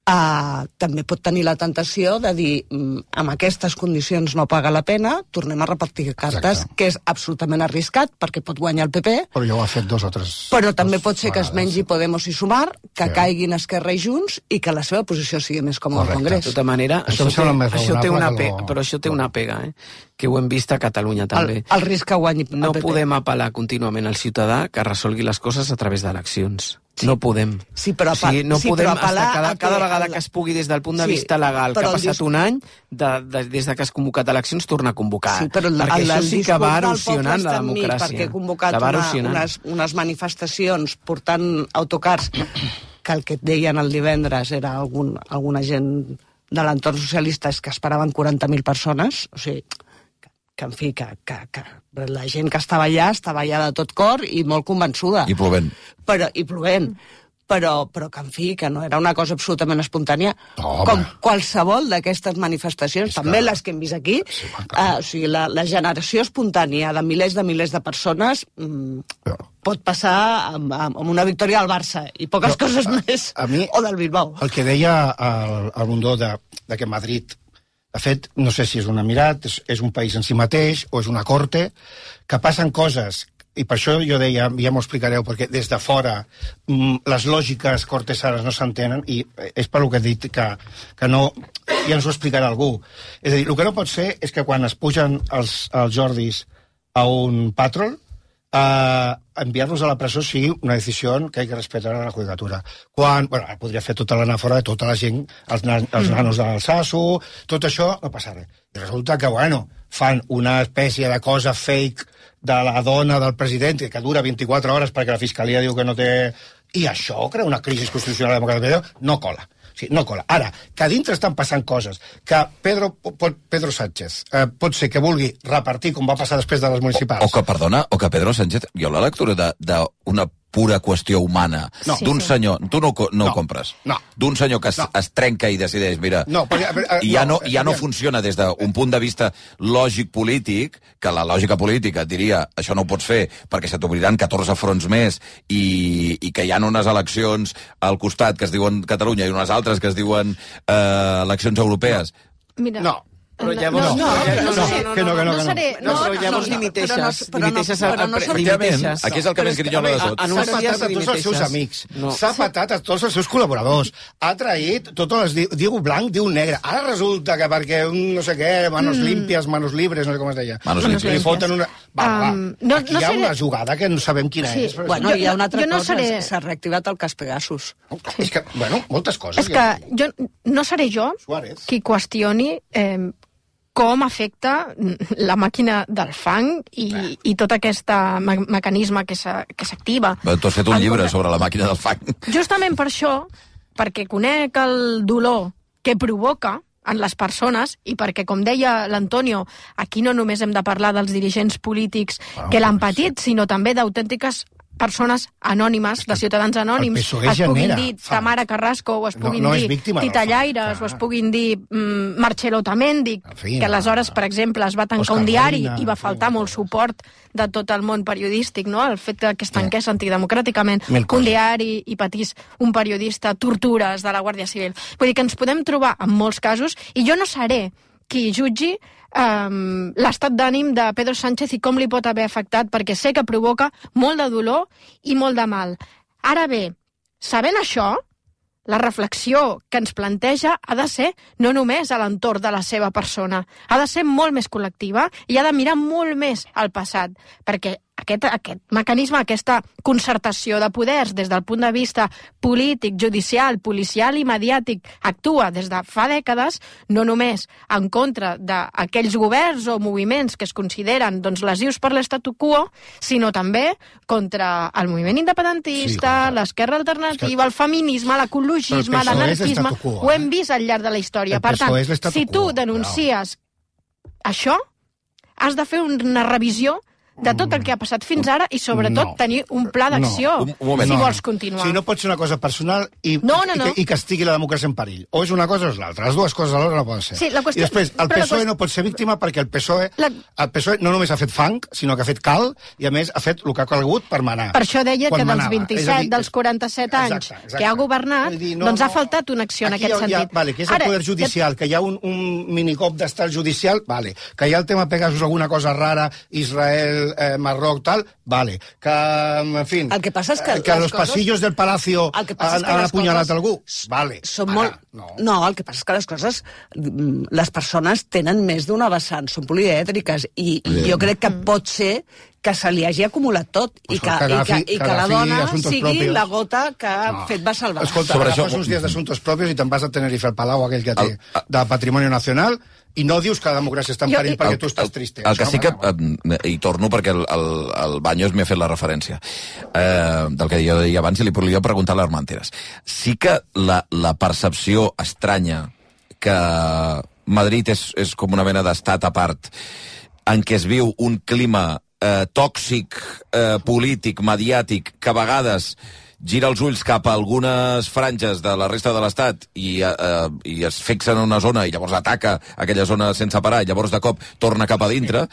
també pot tenir la tentació de dir amb aquestes condicions no paga la pena, tornem a repartir cartes, que és absolutament arriscat perquè pot guanyar el PP. Però ja ho ha fet 2 o 3. Però també pot ser que es mengi Podemos i Sumar, que caiguin Esquerra i Junts i que la seva posició sigui més còmoda al Congrés. De tota manera, això té una pega, que ho hem vist a Catalunya també. El risc que guanyi el PP. No podem apel·lar contínuament al ciutadà que resolgui les coses a través d'eleccions. No podem. Sí, però no podem apel·lar cada vegada que es pugui des del punt de vista legal, que ha passat un any, des de que has convocat eleccions, torna a convocar. Sí, però perquè això sí que va erosionant la democràcia. Perquè he convocat unes manifestacions portant autocars que el que et deien el divendres era alguna gent de l'entorn socialista és que esperaven 40.000 persones, o sigui, que en fi, que la gent que estava allà de tot cor i molt convençuda. I plovent. Però que en fi, que no era una cosa absolutament espontània, com qualsevol d'aquestes manifestacions, també les que hem vist aquí, o sigui, la generació espontània de milers de persones pot passar amb una victòria al Barça i poques coses més, o del Bilbao. El que deia el Mundó que Madrid, de fet, no sé si és un emirat, és un país en si mateix, o és una corte, que passen coses, i per això jo deia, ja m'ho explicareu, perquè des de fora les lògiques cortesanes no s'entenen, i és per el que he dit que no, ja ens ho explicarà algú. És a dir, el que no pot ser és que quan es pugen els Jordis a un patrol, enviar-los a la presó sigui una decisió que hay que respetar a la judicatura. Podria fer tota l'anàfora de tota la gent, els nanos d'Alsasu, tot això no passa res. I resulta que, fan una espècie de cosa fake de la dona del president que dura 24 hores perquè la fiscalia diu que no té... I això crea una crisi constitucional democràtica. No cola. Sí, no cola. Ara, que a dintre estan passant coses, que Pedro Sánchez pot ser que vulgui repartir com va passar després de les municipals. O que Pedro Sánchez, hi ha la lectura d'una pura qüestió humana d'un senyor, tu no ho compres, d'un senyor que es trenca i decideix, mira, i ja no funciona des d'un punt de vista lògic polític, que la lògica política et diria, això no ho pots fer perquè se t'obriran 14 fronts més i que hi ha unes eleccions al costat que es diuen Catalunya i unes altres que es diuen eleccions europees. Mira... No. Però llavors... No, llavors dimiteixes. Aquí és el que més grinyola de tot. S'ha patat a tots els seus amics, s'ha patat a tots els seus col·laboradors, ha traït tots els... Diu blanc, diu negre. Ara resulta que perquè un no sé què, manos limpias, manos libres, no sé com es deia. Manos limpias. Li foten una... Aquí hi ha una jugada que no sabem quina és. Bueno, hi ha una altra cosa, s'ha reactivat el cas Pegasus. És que, moltes coses. És que no seré jo qui qüestioni com afecta la màquina del fang i tot aquest mecanisme que s'activa. Tu has fet un llibre sobre la màquina del fang. Justament per això, perquè conec el dolor que provoca en les persones i perquè, com deia l'Antonio, aquí no només hem de parlar dels dirigents polítics que l'han patit, sinó també d'autèntiques persones anònimes, de ciutadans anònims, es puguin dir Tamara Carrasco, o es puguin dir Tita Llaires, o es puguin dir Marcelo Otamendi, que aleshores, per exemple, es va tancar un diari i va faltar molt suport de tot el món periodístic, no? El fet que es tanqués antidemocràticament un diari i patís un periodista tortures de la Guàrdia Civil. Vull dir que ens podem trobar en molts casos, i jo no seré qui jutgi l'estat d'ànim de Pedro Sánchez i com li pot haver afectat, perquè sé que provoca molt de dolor i molt de mal. Ara bé, sabent això, la reflexió que ens planteja ha de ser no només a l'entorn de la seva persona, ha de ser molt més col·lectiva i ha de mirar molt més al passat, perquè aquest mecanisme, aquesta concertació de poders des del punt de vista polític, judicial, policial i mediàtic actua des de fa dècades, no només en contra d'aquells governs o moviments que es consideren lesius per l'statu quo, sinó també contra el moviment independentista, l'esquerra alternativa, el feminisme, l'ecologisme, l'anarquisme. Ho hem vist al llarg de la història. Per tant, si tu denuncies això, has de fer una revisió de tot el que ha passat fins ara i, sobretot, tenir un pla d'acció si vols continuar. Si no pot ser una cosa personal i que estigui la democràcia en perill. O és una cosa o és l'altra. Les dues coses alhora no poden ser. I després, el PSOE no pot ser víctima perquè el PSOE no només ha fet fang, sinó que ha fet cal i, a més, ha fet el que ha calgut per manar. Per això deia que dels 27, dels 47 anys que ha governat, doncs ha faltat una acció en aquest sentit. Que és el poder judicial, que hi ha un minicop d'estat judicial, que hi ha el tema Pegasus, alguna cosa rara, Israel Marroc, tal, vale. Que, en fin... El que passa és que a los pasillos del Palacio han apunyalat algú, vale. No, el que passa és que les coses... Les persones tenen més d'una vessant, són polièdriques, i jo crec que pot ser que se li hagi acumulat tot i que la dona sigui la gota que ha fet vessar el bar. Escolta, agafes uns dies d'assumptes propis i te'n vas a Tenerife al Palau, aquell que té de Patrimoni Nacional, i no dius que la democràcia està en perill perquè tu estàs triste. El que sí que... I torno perquè el Baños m'ha fet la referència del que jo deia abans i li podria preguntar a l'Armenteres. Sí que la percepció estranya que Madrid és com una mena d'estat a part en què es viu un clima tòxic, polític, mediàtic, que a vegades gira els ulls cap a algunes franges de la resta de l'Estat i es fixa en una zona i llavors ataca aquella zona sense parar i llavors de cop torna cap a dintre,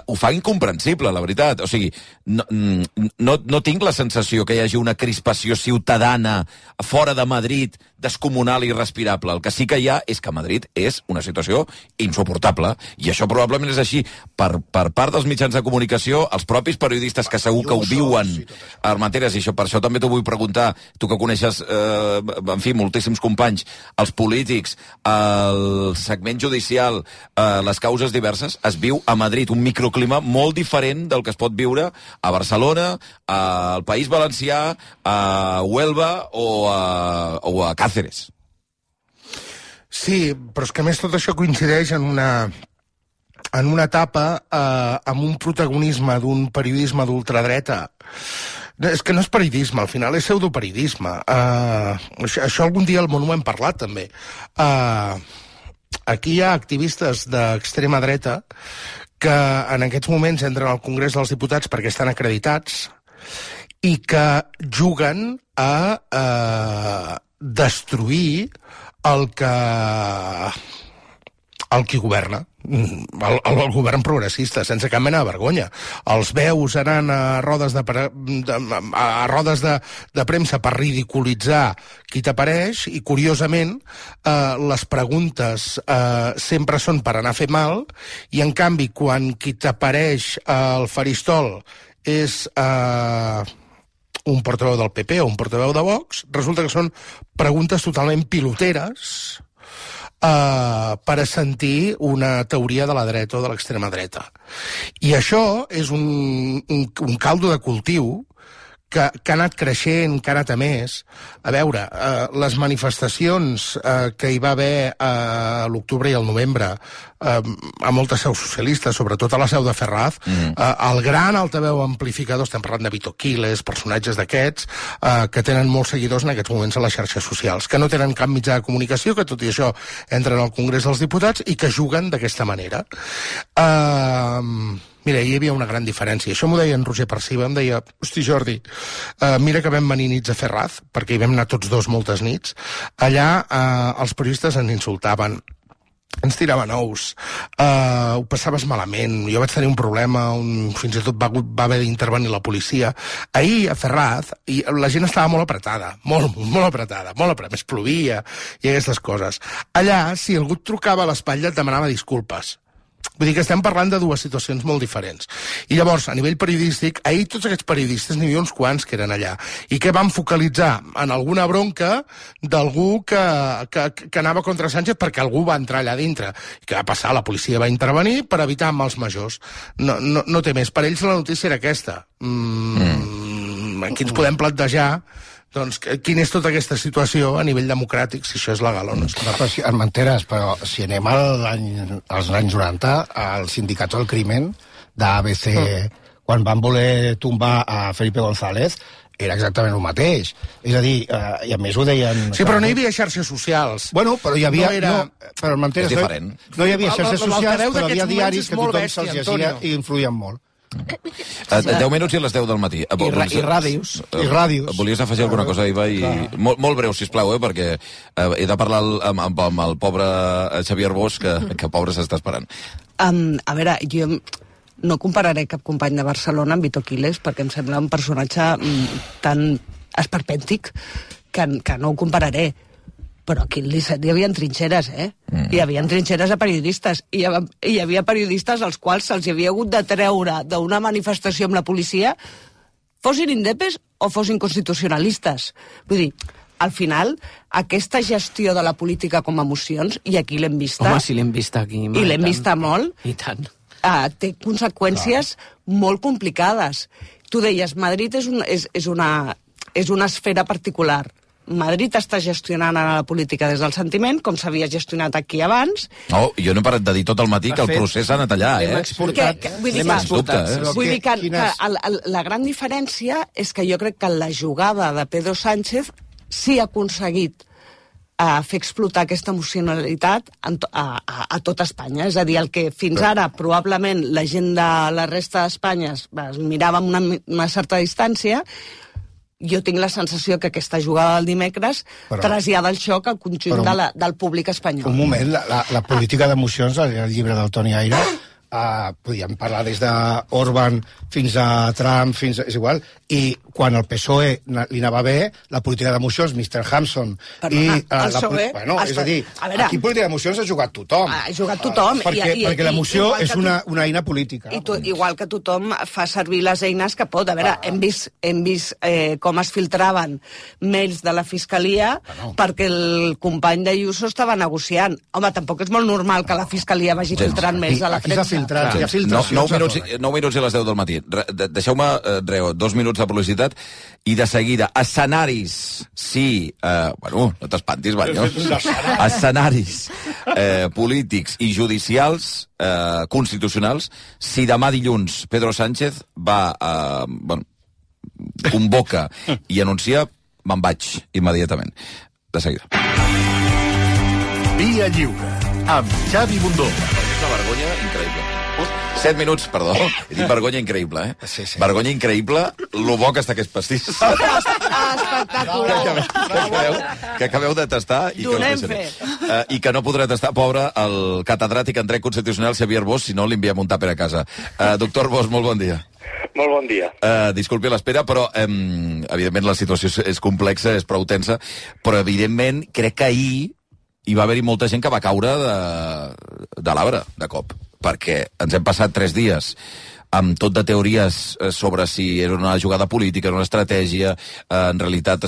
ho fa incomprensible, la veritat. O sigui, no tinc la sensació que hi hagi una crispació ciutadana fora de Madrid descomunal i irrespirable. El que sí que hi ha és que Madrid és una situació insuportable i això probablement és així per part dels mitjans de comunicació, els propis periodistes que segur que ho viuen, Armenteres, i per això també t'ho vull preguntar, tu que coneixes, en fi, moltíssims companys, els polítics, el segment judicial, les causes diverses, es viu a Madrid un microclima molt diferent del que es pot viure a Barcelona, al País Valencià, a Huelva o a Cáceres. Sí, però és que a més tot això coincideix en una etapa amb un protagonisme d'un periodisme d'ultradreta. És que no és periodisme, al final és pseudoperiodisme. Això algun dia al Món ho hem parlat, també. Aquí hi ha activistes d'extrema dreta que en aquests moments entren al Congrés dels Diputats perquè estan acreditats i que juguen a destruir el qui governa, el govern progressista, sense cap mena de vergonya. Els veus anant a rodes de premsa per ridiculitzar qui t'apareix i, curiosament, les preguntes sempre són per anar a fer mal i, en canvi, quan qui t'apareix al faristol és un portaveu del PP o un portaveu de Vox, resulta que són preguntes totalment piloteres per assentir una teoria de la dreta o de l'extrema dreta. I això és un caldo de cultiu que ha anat creixent, que ha anat a més. A veure, les manifestacions que hi va haver a l'octubre i al novembre a moltes seus socialistes, sobretot a la seu de Ferraz, el gran altaveu amplificador, estem parlant de Vito Quiles, personatges d'aquests, que tenen molts seguidors en aquests moments a les xarxes socials, que no tenen cap mitjà de comunicació, que tot i això entren al Congrés dels Diputats i que juguen d'aquesta manera. Mira, hi havia una gran diferència. Això m'ho deia en Roger Perciba, em deia, hosti, Jordi, mira que vam venir nits a Ferraz, perquè hi vam anar tots dos moltes nits. Allà els periodistes ens insultaven, ens tiraven ous, ho passaves malament, jo vaig tenir un problema, fins i tot va haver d'intervenir la policia. Ahir a Ferraz la gent estava molt apretada, molt apretada, més plovia i aquestes coses. Allà, si algú et trucava a l'espatlla et demanava disculpes. Vull dir que estem parlant de dues situacions molt diferents. I llavors, a nivell periodístic, ahir tots aquests periodistes, n'hi havia uns quants que eren allà, i que van focalitzar en alguna bronca d'algú que anava contra Sánchez perquè algú va entrar allà dintre. I què va passar? La policia va intervenir per evitar mals majors. No té més. Per ells la notícia era aquesta. Aquí ens podem plantejar doncs, quina és tota aquesta situació a nivell democràtic, si això és legal o no. Armenteres, però si anem als anys 90, el sindicat del crimen d'ABC, quan van voler tombar a Felipe González, era exactament el mateix. És a dir, i a més ho deien... Sí, però no hi havia xarxes socials. Bueno, però hi havia... Però és diferent. No hi havia xarxes socials, però hi havia diaris que tothom se'ls llegia i influïen molt. 10 minuts i a les 10 del matí. I ràdios. Volies afegir alguna cosa, Iva? Molt breu, sisplau, perquè he de parlar amb el pobre Xavier Bosch, que pobre s'està esperant. A veure, jo no compararé cap company de Barcelona amb Vito Quiles, perquè em sembla un personatge tan esperpèntic que no ho compararé. Però aquí al 17 hi havia trinxeres, Hi havia trinxeres a periodistes. I hi havia periodistes als quals se'ls havia hagut de treure d'una manifestació amb la policia, fossin indepes o fossin constitucionalistes. Vull dir, al final, aquesta gestió de la política com a emocions, i aquí l'hem vista... Home, sí, l'hem vista aquí. I l'hem vista molt. I tant. Té conseqüències molt complicades. Tu deies, Madrid és una esfera particular. Madrid està gestionant ara la política des del sentiment, com s'havia gestionat aquí abans. No, jo no he parat de dir tot el matí que el procés ha anat allà, L'hem exportat. Vull dir que la gran diferència és que jo crec que la jugada de Pedro Sánchez sí ha aconseguit fer explotar aquesta emocionalitat a tot Espanya. És a dir, el que fins ara probablement la gent de la resta d'Espanya es mirava amb una certa distància, jo tinc la sensació que aquesta jugada del dimecres trasllada el xoc al conjunt del públic espanyol. Un moment, la política d'emocions, el llibre del Toni Aire, podíem parlar des d'Orban fins a Trump, és igual, i quan el PSOE li anava bé, la política d'emocions, Mr. Hampson... El PSOE... És a dir, aquí política d'emocions ha jugat tothom. Ha jugat tothom. Perquè l'emoció és una eina política. Igual que tothom fa servir les eines que pot. A veure, hem vist com es filtraven mails de la Fiscalia perquè el company d'Ayuso estava negociant. Home, tampoc és molt normal que la Fiscalia vagi filtrant mails a la premsa. 9 minuts i les 10 del matí. Deixeu-me, 2 minuts de publicitat i de seguida, escenaris, sí, no t'espantis, Banyos, escenaris polítics i judicials, constitucionals, si demà dilluns Pedro Sánchez convoca i anuncia, me'n vaig immediatament. De seguida. Via Lliure, amb Xavi Bundó. És una vergonya increïble. 7 minuts, perdó. He dit vergonya increïble, Sí. Vergonya increïble, lo bo que està aquest pastís. Espectacular. Que acabeu de tastar i que no podrà tastar, pobre, el catedràtic en dret constitucional Xavier Bosch, si no li enviem un tàper a casa. Doctor Bosch, molt bon dia. Molt bon dia. Disculpi l'espera, però evidentment la situació és complexa, és prou tensa, però evidentment crec que ahir hi va haver-hi molta gent que va caure de l'arbre, de cop, perquè ens hem passat 3 dies amb tot de teories sobre si era una jugada política, era una estratègia, en realitat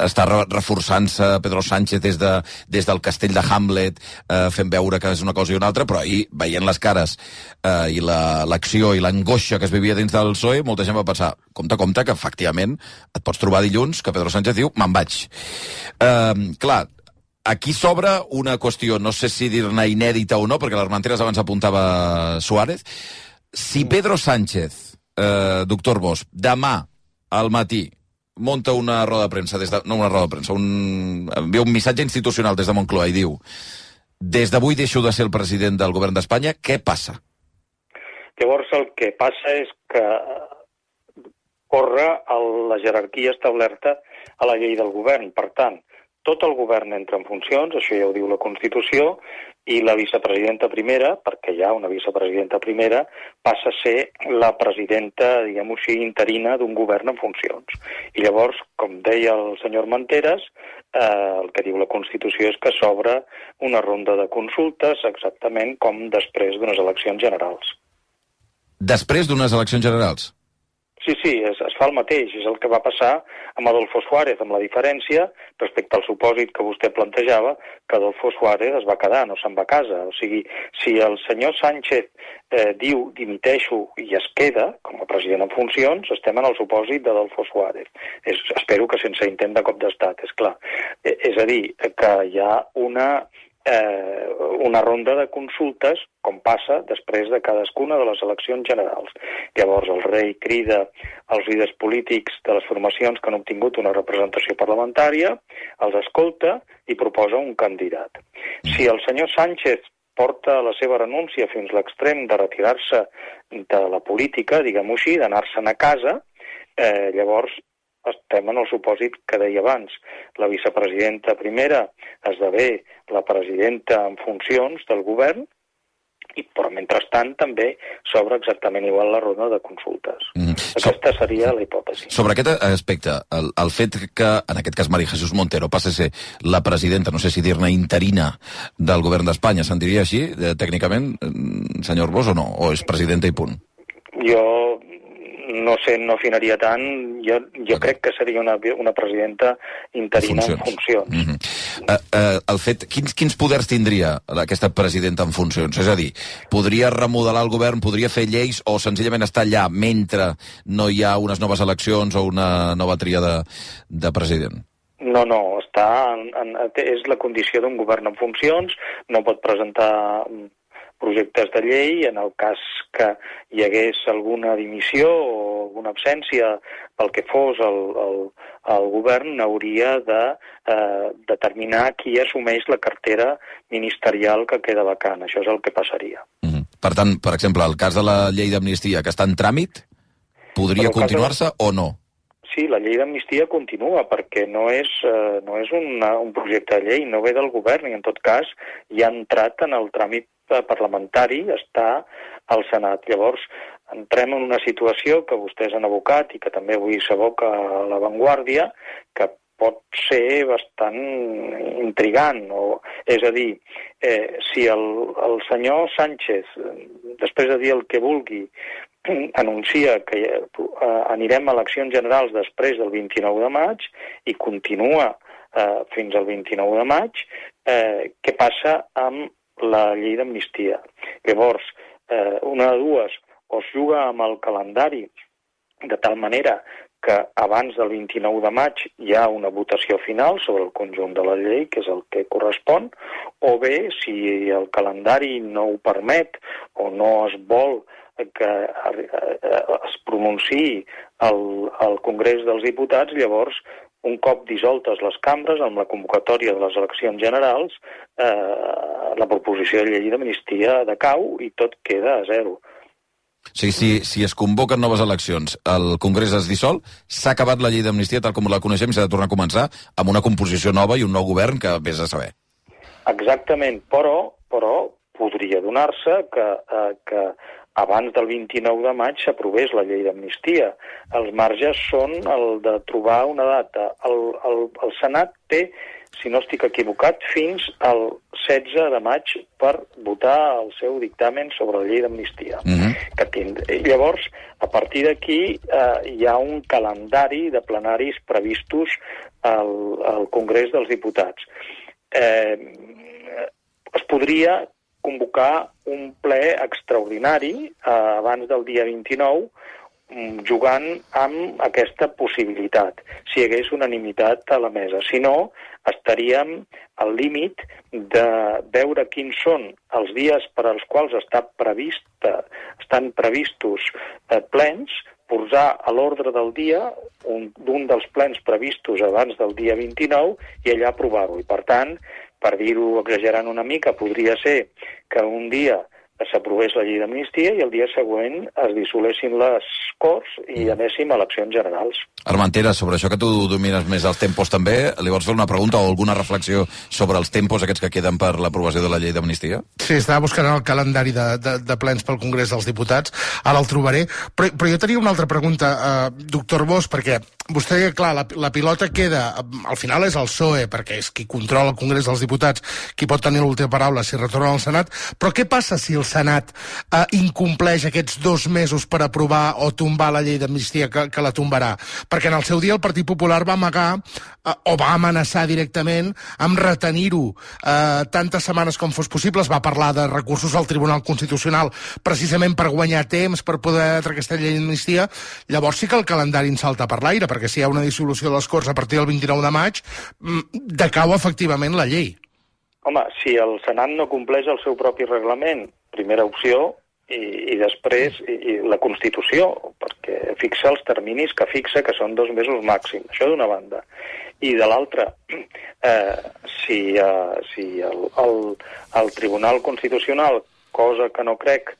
està reforçant-se Pedro Sánchez des del castell de Hamlet, fent veure que és una cosa i una altra, però ahir, veient les cares i l'acció i l'angoixa que es vivia dins del PSOE, molta gent va pensar, compte, que efectivament et pots trobar dilluns que Pedro Sánchez diu, me'n vaig. Clar, aquí s'obre una qüestió, no sé si dir-ne inèdita o no, perquè l'Armenteres abans apuntava Suárez. Si Pedro Sánchez, doctor Bosch, demà al matí monta una roda de premsa, envia un missatge institucional des de Moncloa i diu des d'avui deixo de ser el president del govern d'Espanya, què passa? Llavors el que passa és que corre la jerarquia establerta a la llei del govern. Per tant, tot el govern entra en funcions, això ja ho diu la Constitució, i la vicepresidenta primera, perquè hi ha una vicepresidenta primera, passa a ser la presidenta, diguem-ho així, interina d'un govern en funcions. I llavors, com deia el senyor Manteres, el que diu la Constitució és que s'obre una ronda de consultes exactament com després d'unes eleccions generals. Després d'unes eleccions generals? Sí, es fa el mateix. És el que va passar amb Adolfo Suárez, amb la diferència, respecte al supòsit que vostè plantejava, que Adolfo Suárez es va quedar, no se'n va a casa. O sigui, si el senyor Sánchez diu dimiteixo i es queda com a president en funcions, estem en el supòsit d'Adolfo Suárez. Espero que sense intent de cop d'estat, és clar. És a dir, que hi ha una ronda de consultes, com passa després de cadascuna de les eleccions generals. Llavors el rei crida als líders polítics de les formacions que han obtingut una representació parlamentària, els escolta i proposa un candidat. Si el senyor Sánchez porta la seva renúncia fins a l'extrem de retirar-se de la política, diguem-ho així, d'anar-se'n a casa, llavors estem en el supòsit que deia abans. La vicepresidenta primera esdevé la presidenta en funcions del govern, però mentrestant també s'obre exactament igual la ronda de consultes. Aquesta seria la hipòtesi. Sobre aquest aspecte, el fet que, en aquest cas, María Jesús Montero passi a ser la presidenta, no sé si dir-ne interina, del govern d'Espanya, se'n diria així, tècnicament, senyor Arbós, o no? O és presidenta i punt? Jo no sé, no afinaria tant. Jo crec que seria una presidenta interina en funcions. El fet, quins poders tindria aquesta presidenta en funcions? És a dir, podria remodelar el govern, podria fer lleis, o senzillament estar allà mentre no hi ha unes noves eleccions o una nova tria de president? No, és la condició d'un govern en funcions, no pot presentar projectes de llei. En el cas que hi hagués alguna dimissió o alguna absència pel que fos el govern, hauria de determinar qui assumeix la cartera ministerial que queda vacant. Això és el que passaria. Per tant, per exemple, el cas de la llei d'amnistia que està en tràmit, podria continuar-se o no? Sí, la llei d'amnistia continua, perquè no és un projecte de llei, no ve del govern, i en tot cas ja ha entrat en el tràmit parlamentari, està al Senat. Llavors, entrem en una situació que vostès han abocat i que també avui s'aboca a La Vanguardia, que pot ser bastant intrigant. És a dir, si el senyor Sánchez, després de dir el que vulgui, anuncia que anirem a eleccions generals després del 29 de maig i continua fins al 29 de maig, què passa amb la llei d'amnistia? Llavors, una de dues, o es juga amb el calendari de tal manera que abans del 29 de maig hi ha una votació final sobre el conjunt de la llei, que és el que correspon, o bé, si el calendari no ho permet o no es vol que es pronunciï al Congrés dels Diputats, llavors, un cop dissoltes les cambres, amb la convocatòria de les eleccions generals, la proposició de llei d'amnistia decau i tot queda a zero. Sí, si es convoquen noves eleccions, el Congrés es dissol, s'ha acabat la llei d'amnistia tal com la coneixem i s'ha de tornar a començar amb una composició nova i un nou govern que vés a saber. Exactament, però podria donar-se que abans del 29 de maig s'aprovés la llei d'amnistia. Els marges són el de trobar una data. El Senat té, si no estic equivocat, fins al 16 de maig per votar el seu dictamen sobre la llei d'amnistia. Llavors, a partir d'aquí hi ha un calendari de plenaris previstos al Congrés dels Diputats. Es podria convocar un ple extraordinari abans del dia 29, jugant amb aquesta possibilitat, si hi hagués unanimitat a la mesa. Si no, estaríem al límit de veure quins són els dies per als quals estan previstos plens, posar a l'ordre del dia d'un dels plens previstos abans del dia 29 i allà aprovar-ho. I, per tant, per dir-ho exagerant una mica, podria ser que un dia s'aprovés la llei d'amnistia i el dia següent es dissolessin les Corts i anéssim a eleccions generals. Armentera, sobre això que tu domines més els tempos també, li vols fer una pregunta o alguna reflexió sobre els tempos aquests que queden per l'aprovació de la llei d'amnistia? Sí, estava buscant el calendari de plens pel Congrés dels Diputats, ara el trobaré, però jo tenia una altra pregunta, doctor Bosch, perquè vostè, clar, la pilota queda, al final és el PSOE, perquè és qui controla el Congrés dels Diputats, qui pot tenir l'última paraula si retorna al Senat, però què passa si el Senat incompleix aquests 2 mesos per aprovar o tombar la llei d'amnistia que la tombarà? Perquè en el seu dia el Partit Popular va amagar o va amenaçar directament amb retenir-ho tantes setmanes com fos possible. Es va parlar de recursos al Tribunal Constitucional precisament per guanyar temps, per poder treure aquesta llei d'amnistia. Llavors sí que el calendari en salta per l'aire, perquè si hi ha una dissolució de les Corts a partir del 29 de maig, decau efectivament la llei. Home, si el Senat no compleix el seu propi reglament, primera opció, i després la Constitució, perquè fixa els terminis que fixa, que són 2 mesos màxim. Això d'una banda. I de l'altra, si el Tribunal Constitucional, cosa que no crec,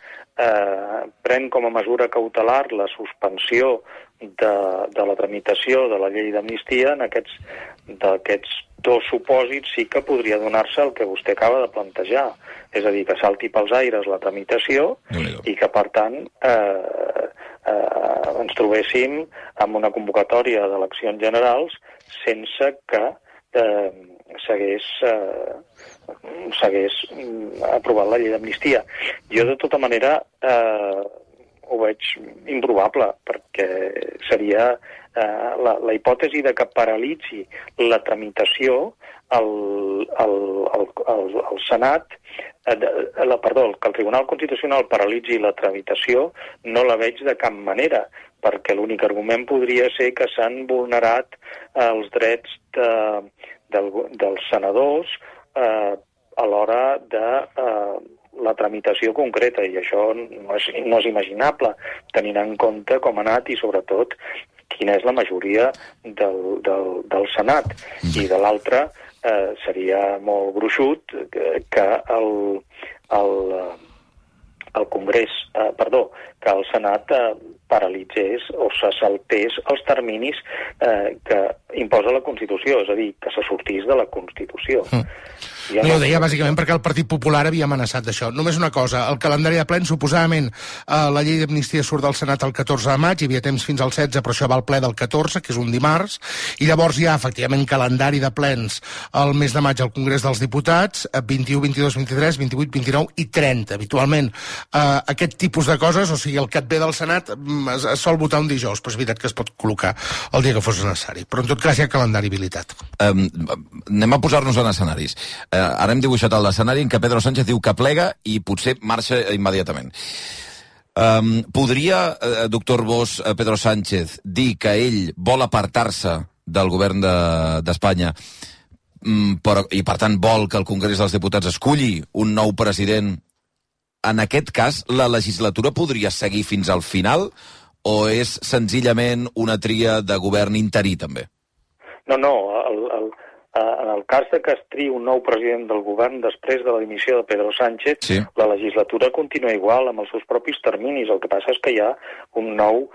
pren com a mesura cautelar la suspensió de la tramitació de la llei d'amnistia, en d'aquests 2 supòsits sí que podria donar-se el que vostè acaba de plantejar. És a dir, que salti pels aires la tramitació i que, per tant, ens trobéssim amb una convocatòria d'eleccions generals sense que s'hagués aprovat la llei d'amnistia. Jo, de tota manera, ho veig improbable, perquè seria la hipòtesi de que paralitzi la tramitació al Senat, que el Tribunal Constitucional paralitzi la tramitació, no la veig de cap manera, perquè l'únic argument podria ser que s'han vulnerat els drets dels senadors a l'hora de la tramitació concreta, i això no és imaginable, tenint en compte com ha anat i, sobretot, quina és la majoria del Senat. I de l'altra, seria molt gruixut que el Congrés, que el Senat paralitzés o se saltés els terminis que imposa la Constitució, és a dir, que se sortís de la Constitució. No, ho deia bàsicament perquè el Partit Popular havia amenaçat d'això. Només una cosa, el calendari de plens, suposadament, la llei d'amnistia surt del Senat el 14 de maig, hi havia temps fins al 16, però això va al ple del 14, que és un dimarts, i llavors hi ha, efectivament, calendari de plens el mes de maig al Congrés dels Diputats, 21, 22, 23, 28, 29 i 30. Habitualment, aquest tipus de coses, o sigui, el que et ve del Senat es sol votar un dijous, però és veritat que es pot col·locar el dia que fos necessari. Però en tot cas hi ha calendari habilitat. Anem a posar-nos en escenaris. Ara hem dibuixat l'escenari en què Pedro Sánchez diu que plega i potser marxa immediatament. Podria, doctor Bosch, Pedro Sánchez, dir que ell vol apartar-se del govern d'Espanya i, per tant, vol que el Congrés dels Diputats esculli un nou president? En aquest cas, la legislatura podria seguir fins al final o és senzillament una tria de govern interí, també? No, en el cas de que es triï un nou president del govern després de la dimissió de Pedro Sánchez, sí, la legislatura continua igual, amb els seus propis terminis. El que passa és que hi ha un nou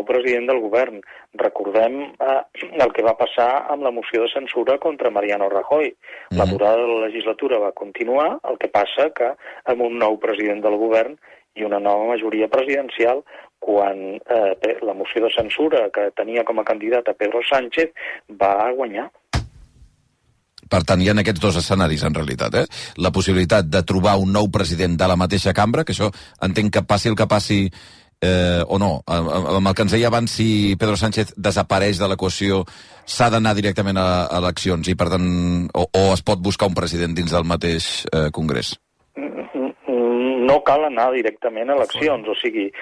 president del govern. Recordem el que va passar amb la moció de censura contra Mariano Rajoy. La durada de la legislatura va continuar, el que passa que amb un nou president del govern i una nova majoria presidencial, quan la moció de censura que tenia com a candidat a Pedro Sánchez va guanyar. Per tant, hi ha aquests dos escenaris, en realitat. La possibilitat de trobar un nou president de la mateixa cambra, que això entenc que passi el que passi o no. Amb el que ens deia abans, si Pedro Sánchez desapareix de l'equació, s'ha d'anar directament a eleccions i, per tant, o es pot buscar un president dins del mateix Congrés? No cal anar directament a eleccions, o sigui,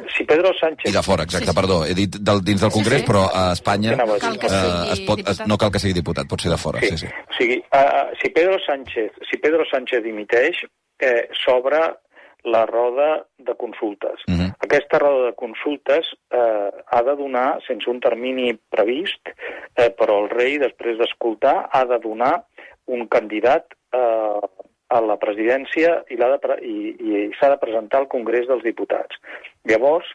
si Pedro Sánchez... I de fora, exacte, perdó. He dit dins del Congrés, però a Espanya no cal que sigui diputat, pot ser de fora. Sí. O sigui, si Pedro Sánchez dimiteix, s'obre la roda de consultes. Aquesta roda de consultes ha de donar, sense un termini previst, però el rei, després d'escoltar, ha de donar un candidat a la presidència i s'ha de presentar al Congrés dels Diputats. Llavors,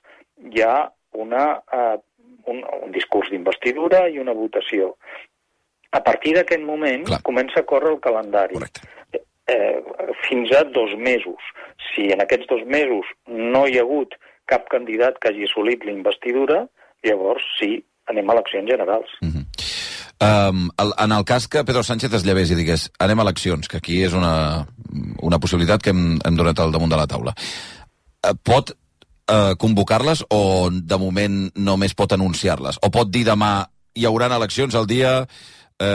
hi ha un discurs d'investidura i una votació. A partir d'aquest moment comença a córrer el calendari. Fins a 2 mesos. Si en aquests 2 mesos no hi ha hagut cap candidat que hagi assolit la investidura, llavors sí, anem a eleccions generals. En el cas que Pedro Sánchez es llevés i digués anem a eleccions, que aquí és una possibilitat que hem donat al damunt de la taula, pot convocar-les o de moment només pot anunciar-les? O pot dir demà hi haurà eleccions el dia 5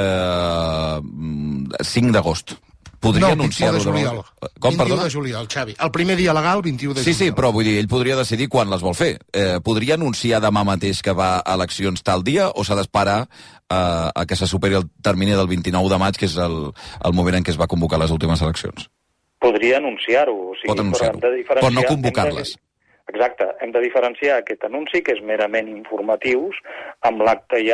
d'agost? Podria anunciar-ho? 21 de juliol. Com, 21 de juliol, Xavi. El primer dia legal, 21 de juliol. Sí, però vull dir, ell podria decidir quan les vol fer. Podria anunciar demà mateix que va a eleccions tal dia o s'ha d'esperar a que se superi el termini del 29 de maig, que és el moment en què es va convocar les últimes eleccions? Podria anunciar-ho. Pot anunciar-ho, però no convocar-les. Exacte. Hem de diferenciar aquest anunci, que és merament informatiu, amb l'acte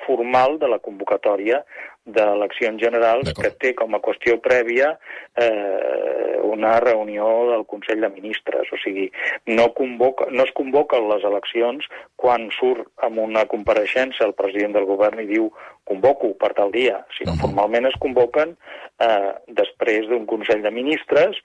formal de la convocatòria d'eleccions generals, que té com a qüestió prèvia una reunió del Consell de Ministres. O sigui, no es convoquen les eleccions quan surt amb una compareixença el president del govern i diu convoco per tal dia, sinó formalment es convoquen després d'un Consell de Ministres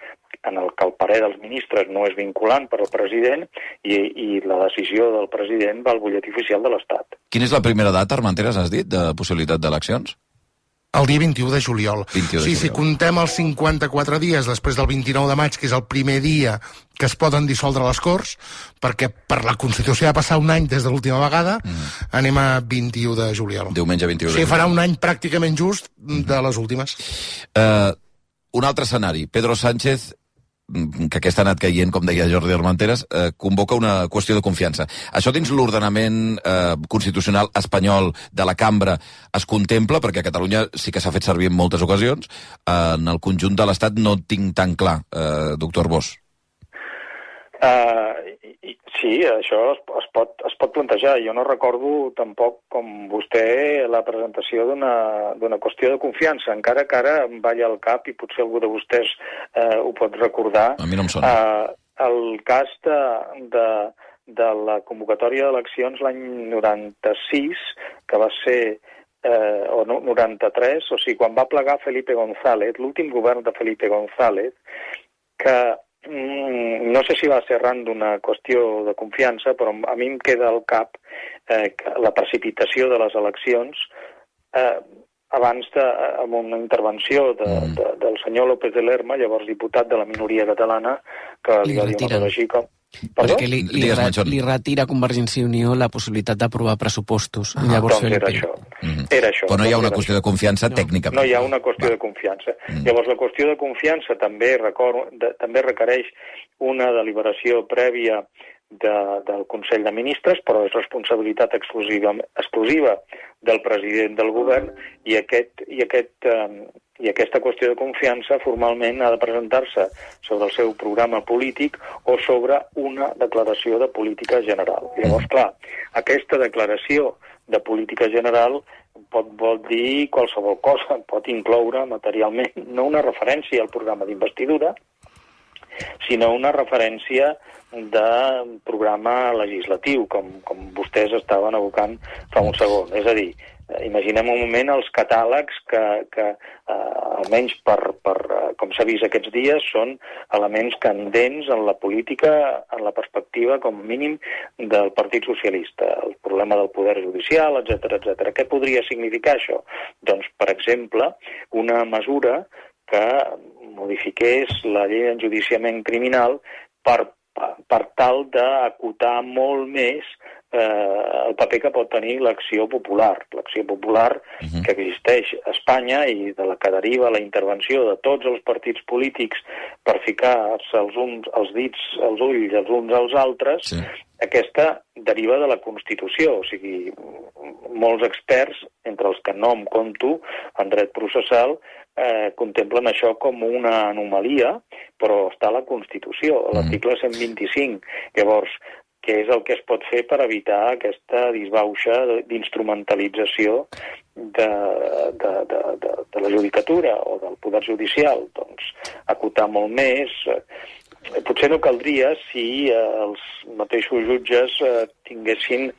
en el que el parer dels ministres no és vinculant per al president i la decisió del president va al butlletí oficial de l'Estat. Quina és la primera data, Armenteres, has dit, de possibilitat d'eleccions? El dia 21 de juliol. 21 de juliol. Si contem els 54 dies després del 29 de maig, que és el primer dia que es poden dissoldre les Corts, perquè per la Constitució ha passat un any des de l'última vegada, anem a 21 de juliol. Diumenge 21 de juliol. Sí, farà un any pràcticament just de les últimes. Un altre escenari. Pedro Sánchez, que aquest ha anat caient, com deia Jordi Armenteres, convoca una qüestió de confiança. Això dins l'ordenament constitucional espanyol de la cambra es contempla, perquè a Catalunya sí que s'ha fet servir en moltes ocasions. En el conjunt de l'Estat no tinc tan clar, doctor Bosch. Sí, això es pot plantejar. Jo no recordo tampoc, com vostè, la presentació d'una qüestió de confiança, encara que ara em balla al cap i potser algú de vostès ho pot recordar. A mi no em sona. El cas de la convocatòria d'eleccions l'any 96, que va ser o 93, o sigui, quan va plegar Felipe González, l'últim govern de Felipe González, que no sé si va ser arran d'una qüestió de confiança, però a mi em queda al cap la precipitació de les eleccions abans amb una intervenció del senyor López de Lerma, llavors diputat de la minoria catalana, que li va dir una cosa així com... Perquè li retira a Convergència i Unió la possibilitat d'aprovar pressupostos. Llavors doncs era això. Era això. Però no hi ha una qüestió de confiança tècnicament. No hi ha una qüestió de confiança. Llavors, la qüestió de confiança també requereix una deliberació prèvia del Consell de Ministres, però és responsabilitat exclusiva del president del govern i aquesta qüestió de confiança formalment ha de presentar-se sobre el seu programa polític o sobre una declaració de política general. Llavors, clar, aquesta declaració de política general vol dir qualsevol cosa, pot incloure materialment no una referència al programa d'investidura, sinó una referència de programa legislatiu, com vostès estaven evocant fa un segon. És a dir, imaginem un moment els catàlegs que almenys com s'ha vist aquests dies, són elements candents en la política, en la perspectiva, com a mínim, del Partit Socialista. El problema del poder judicial, etc. Què podria significar això? Doncs, per exemple, una mesura que modifiqués la llei d'enjudiciament criminal per tal d'acotar molt més el paper que pot tenir l'acció popular. L'acció popular que existeix a Espanya i de la que deriva la intervenció de tots els partits polítics per ficar-se els dits als ulls els uns als altres, aquesta deriva de la Constitució. O sigui, molts experts, entre els que no em compto, en dret processal, contemplen això com una anomalia, però està a la Constitució, a l'article 125. Llavors, què és el que es pot fer per evitar aquesta disbauxa d'instrumentalització de la judicatura o del poder judicial? Doncs acotar molt més. Potser no caldria si els mateixos jutges tinguessin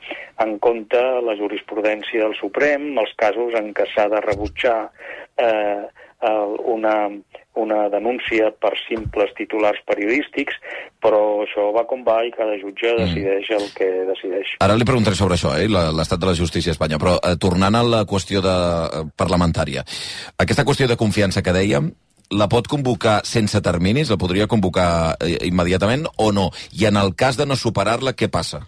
en compte la jurisprudència del Suprem, els casos en què s'ha de rebutjar una denúncia per simples titulars periodístics, però això va com va i cada jutge decideix el que decideix. Ara li preguntaré sobre això, l'estat de la justícia a Espanya, però tornant a la qüestió parlamentària, aquesta qüestió de confiança que dèiem, la pot convocar sense terminis? La podria convocar immediatament o no? I en el cas de no superar-la, què passa?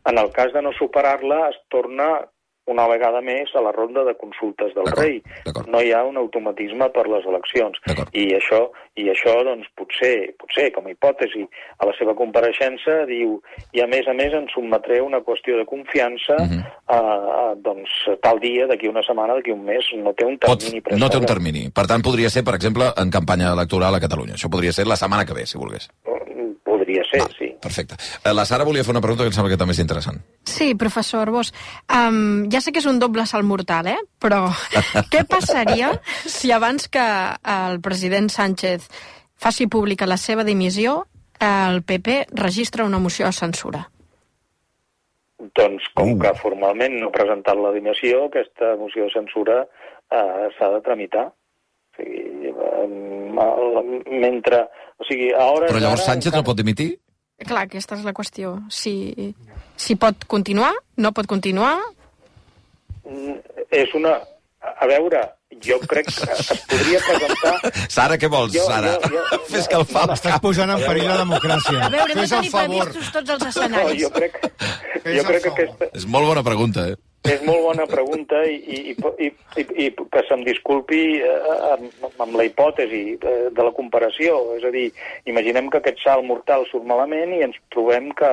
En el cas de no superar-la, es torna una vegada més a la ronda de consultes del rei. No hi ha un automatisme per les eleccions. I això, doncs, potser, com a hipòtesi, a la seva compareixença diu, i a més ens sotmetré una qüestió de confiança doncs, tal dia, d'aquí una setmana, d'aquí un mes, no té un termini no té un termini. Per tant, podria ser, per exemple, en campanya electoral a Catalunya. Això podria ser la setmana que ve, si volgués. Podria ser, sí. Perfecte. La Sara volia fer una pregunta que em sembla que també és interessant. Sí, professor Bosch. Ja sé que és un doble salt mortal, però què passaria si abans que el president Sánchez faci pública la seva dimissió, el PP registra una moció de censura? Doncs, com que formalment no ha presentat la dimissió, aquesta moció de censura s'ha de tramitar. O sigui, mentre... O sigui, a hores Però llavors Sánchez no pot dimitir? Clar, aquesta és la qüestió. Si pot continuar, no pot continuar... És una... A veure, jo crec que es podria presentar... Sara, què vols, Sara? Fes que el fa. Estàs posant en perill la democràcia. A veure, no Fes el tenim favor. previstos tots els escenaris. Jo crec que aquesta... És molt bona pregunta, eh? És molt bona pregunta i que se'm disculpi amb la hipòtesi de la comparació. És a dir, imaginem que aquest salt mortal surt malament i ens trobem que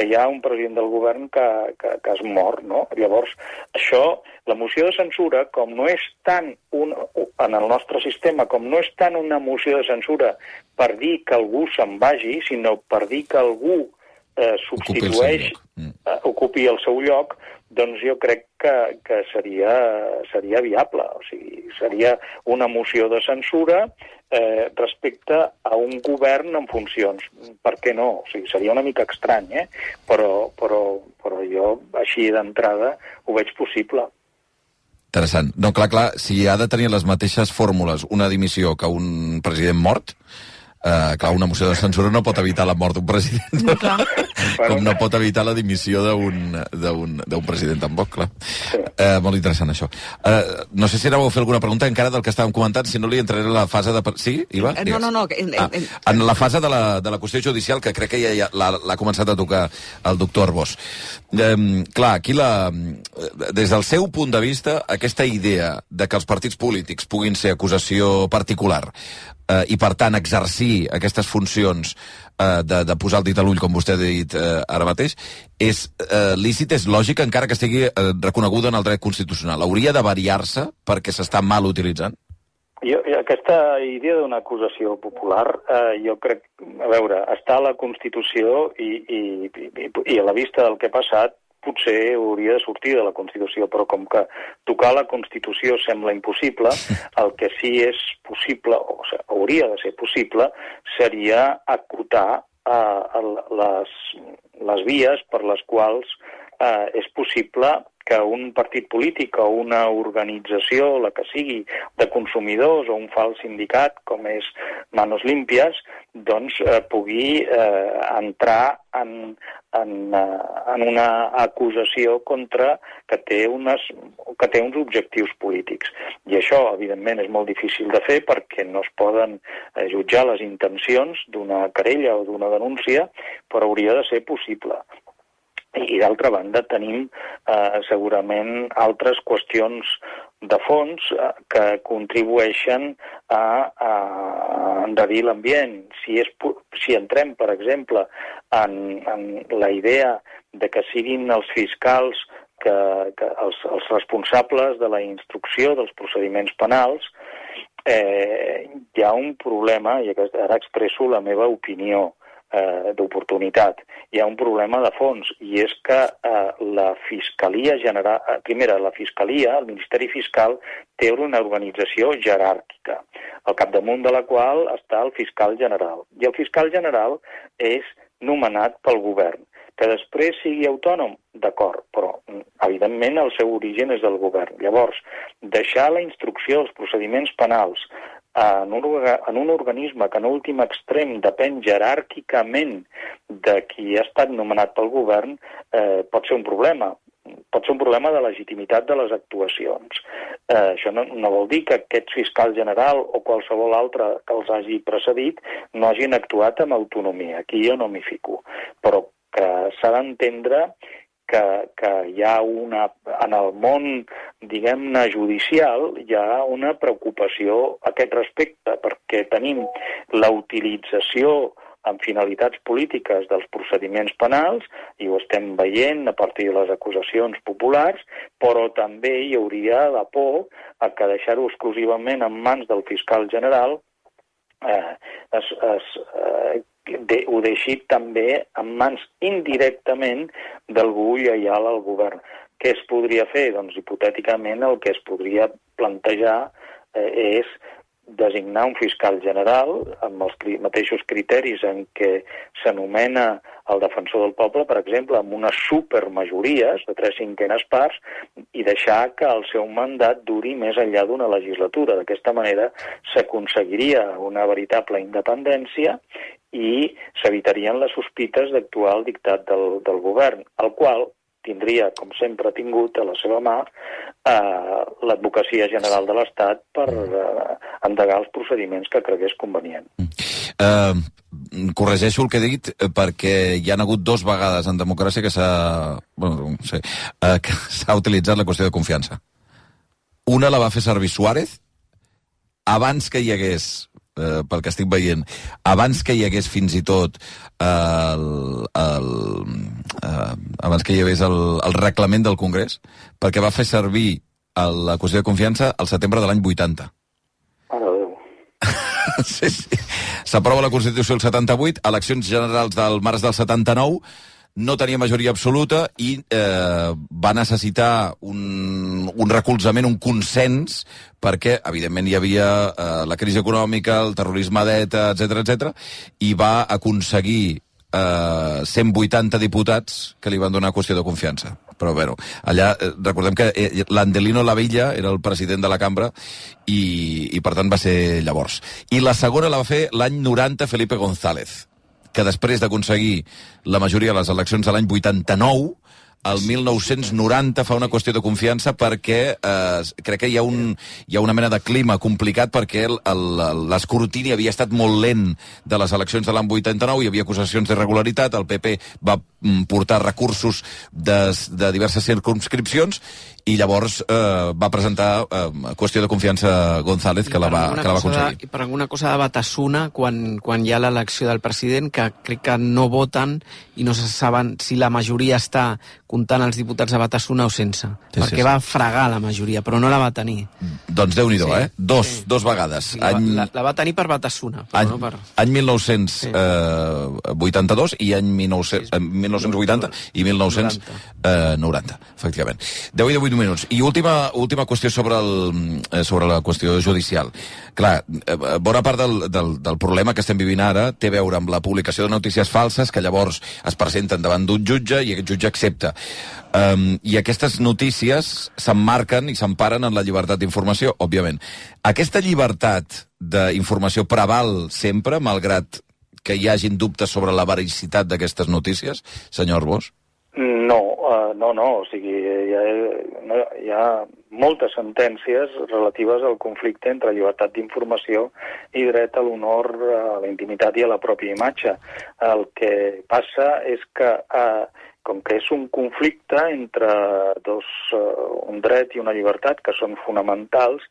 hi ha un president del govern que es mor, no? Llavors, això, la moció de censura, com no és tant en el nostre sistema, com no és tant una moció de censura per dir que algú se'n vagi, sinó per dir que algú ocupi el seu lloc, doncs jo crec que seria viable. O sigui, seria una moció de censura respecte a un govern en funcions. Per què no? O sigui, seria una mica estrany, però jo, així d'entrada, ho veig possible. Interessant. No, clar, si ha de tenir les mateixes fórmules una dimissió que un president mort, clar, una moció de censura no pot evitar la mort d'un president, com no pot evitar la dimissió d'un president tampoc, clar. Molt interessant, això. No sé si ara vau fer alguna pregunta encara del que estàvem comentant, si no li entraré a la fase de... Sí, Iva? No. En la fase de la qüestió judicial, que crec que ja l'ha començat a tocar el doctor Arbós. Clar, aquí des del seu punt de vista, aquesta idea de que els partits polítics puguin ser acusació particular i, per tant, exercir aquestes funcions de posar el dit a l'ull, com vostè ha dit ara mateix, és lícit, és lògic, encara que estigui reconeguda en el dret constitucional. Hauria de variar-se perquè s'està mal utilitzant? Aquesta idea d'una acusació popular, jo crec, a veure, està a la Constitució i a la vista del que ha passat, potser hauria de sortir de la Constitució, però com que tocar la Constitució sembla impossible, el que sí és possible, o sigui, hauria de ser possible, seria acotar les vies per les quals és possible que un partit polític o una organització, la que sigui, de consumidors o un fals sindicat, com és Manos Limpias, doncs pugui entrar en una acusació contra que té uns objectius polítics. I això, evidentment, és molt difícil de fer perquè no es poden jutjar les intencions d'una querella o d'una denúncia, però hauria de ser possible. I, d'altra banda, tenim segurament altres qüestions de fons que contribueixen a enrarir l'ambient. Si entrem, per exemple, en la idea de que siguin els fiscals els responsables de la instrucció dels procediments penals, hi ha un problema, i ara expresso la meva opinió d'oportunitat. Hi ha un problema de fons, i és que la Fiscalia General... Primera, la Fiscalia, el Ministeri Fiscal, té una organització jeràrquica, al capdamunt de la qual està el fiscal general. I el fiscal general és nomenat pel govern. Que després sigui autònom, d'acord, però evidentment el seu origen és del govern. Llavors, deixar la instrucció dels procediments penals en un organisme que en últim extrem depèn jeràrquicament de qui ha estat nomenat pel govern pot ser un problema. Pot ser un problema de legitimitat de les actuacions. Això no vol dir que aquest fiscal general o qualsevol altre que els hagi precedit no hagin actuat amb autonomia. Aquí jo no m'hi fico. Però que s'ha d'entendre que hi ha en el món, diguem-ne, judicial, hi ha una preocupació a aquest respecte, perquè tenim la utilització amb finalitats polítiques dels procediments penals, i ho estem veient a partir de les acusacions populars, però també hi hauria la por a que deixar-ho exclusivament en mans del fiscal general ho deixi també en mans indirectament d'algú lleial al govern. Què es podria fer? Doncs hipotèticament el que es podria plantejar és designar un fiscal general amb els mateixos criteris en què s'anomena el defensor del poble, per exemple, amb unes supermajories de 3/5 parts i deixar que el seu mandat duri més enllà d'una legislatura. D'aquesta manera s'aconseguiria una veritable independència i s'evitarien les sospites d'actuar al dictat del govern, el qual tindria, com sempre ha tingut a la seva mà, l'advocacia general de l'Estat per endegar els procediments que cregués convenient. Corregeixo el que he dit perquè hi ha hagut 2 vegades en democràcia que s'ha utilitzat la qüestió de confiança. Una la va fer servir Suárez abans que hi hagués, pel que estic veient, abans que hi hagués fins i tot abans que hi hagués el reglament del Congrés, perquè va fer servir la qüestió de confiança al setembre de l'any 80. Sí. S'aprova la Constitució del 78, eleccions generals del març del 79, no tenia majoria absoluta i va necessitar un recolzament, un consens, perquè, evidentment, hi havia la crisi econòmica, el terrorisme d'ETA, etc, i va aconseguir 180 diputats que li van donar qüestió de confiança. Però, bueno, allà, recordem que l'Andelino Lavilla era el president de la cambra i per tant, va ser llavors. I la segona la va fer l'any 90 Felipe González, que després d'aconseguir la majoria de les eleccions de l'any 89, el 1990 fa una qüestió de confiança perquè crec que hi ha una mena de clima complicat perquè l'escrutini havia estat molt lent de les eleccions de l'any 89, hi havia acusacions d'irregularitat, el PP va portar recursos de diverses circumscripcions i llavors va presentar qüestió de confiança González, que la va aconseguir. I per alguna cosa de Batasuna, quan hi ha l'elecció del president, que crec que no voten i no se saben si la majoria està comptant els diputats de Batasuna o sense. Perquè va fregar la majoria, però no la va tenir. Doncs Déu-n'hi-do, Dos vegades. La va tenir per Batasuna, però no per... Any 1982 i any 1980 i 1990, efectivament. 10 i 18 minuts. I última qüestió sobre la qüestió judicial. Clar, bona part del problema que estem vivint ara té a veure amb la publicació de notícies falses que llavors es presenten davant d'un jutge i aquest jutge accepta. I aquestes notícies s'emmarquen i s'emparen en la llibertat d'informació, òbviament. Aquesta llibertat d'informació preval sempre, malgrat que hi hagin dubtes sobre la vericitat d'aquestes notícies, senyor Arbós? No. O sigui, hi ha moltes sentències relatives al conflicte entre llibertat d'informació i dret a l'honor, a la intimitat i a la pròpia imatge. El que passa és que, com que és un conflicte entre un dret i una llibertat que són fonamentals,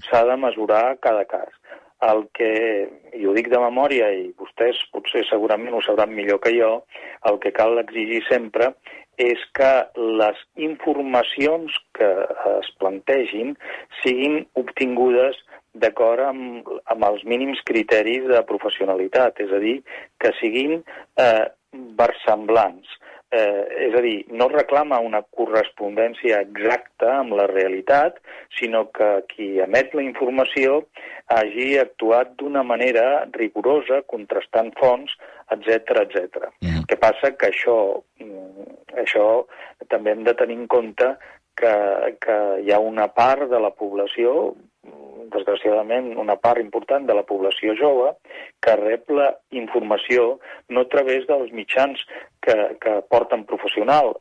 s'ha de mesurar cada cas. El que, i ho dic de memòria, i vostès potser segurament ho sabran millor que jo, el que cal exigir sempre és que les informacions que es plantegin siguin obtingudes d'acord amb els mínims criteris de professionalitat, és a dir, que siguin versemblants. És a dir, no reclama una correspondència exacta amb la realitat, sinó que qui emet la informació hagi actuat d'una manera rigorosa, contrastant fonts, etc. El que passa que això també hem de tenir en compte que hi ha una part de la població, desgraciadament una part important de la població jove, que rep la informació no a través dels mitjans que porten professionals,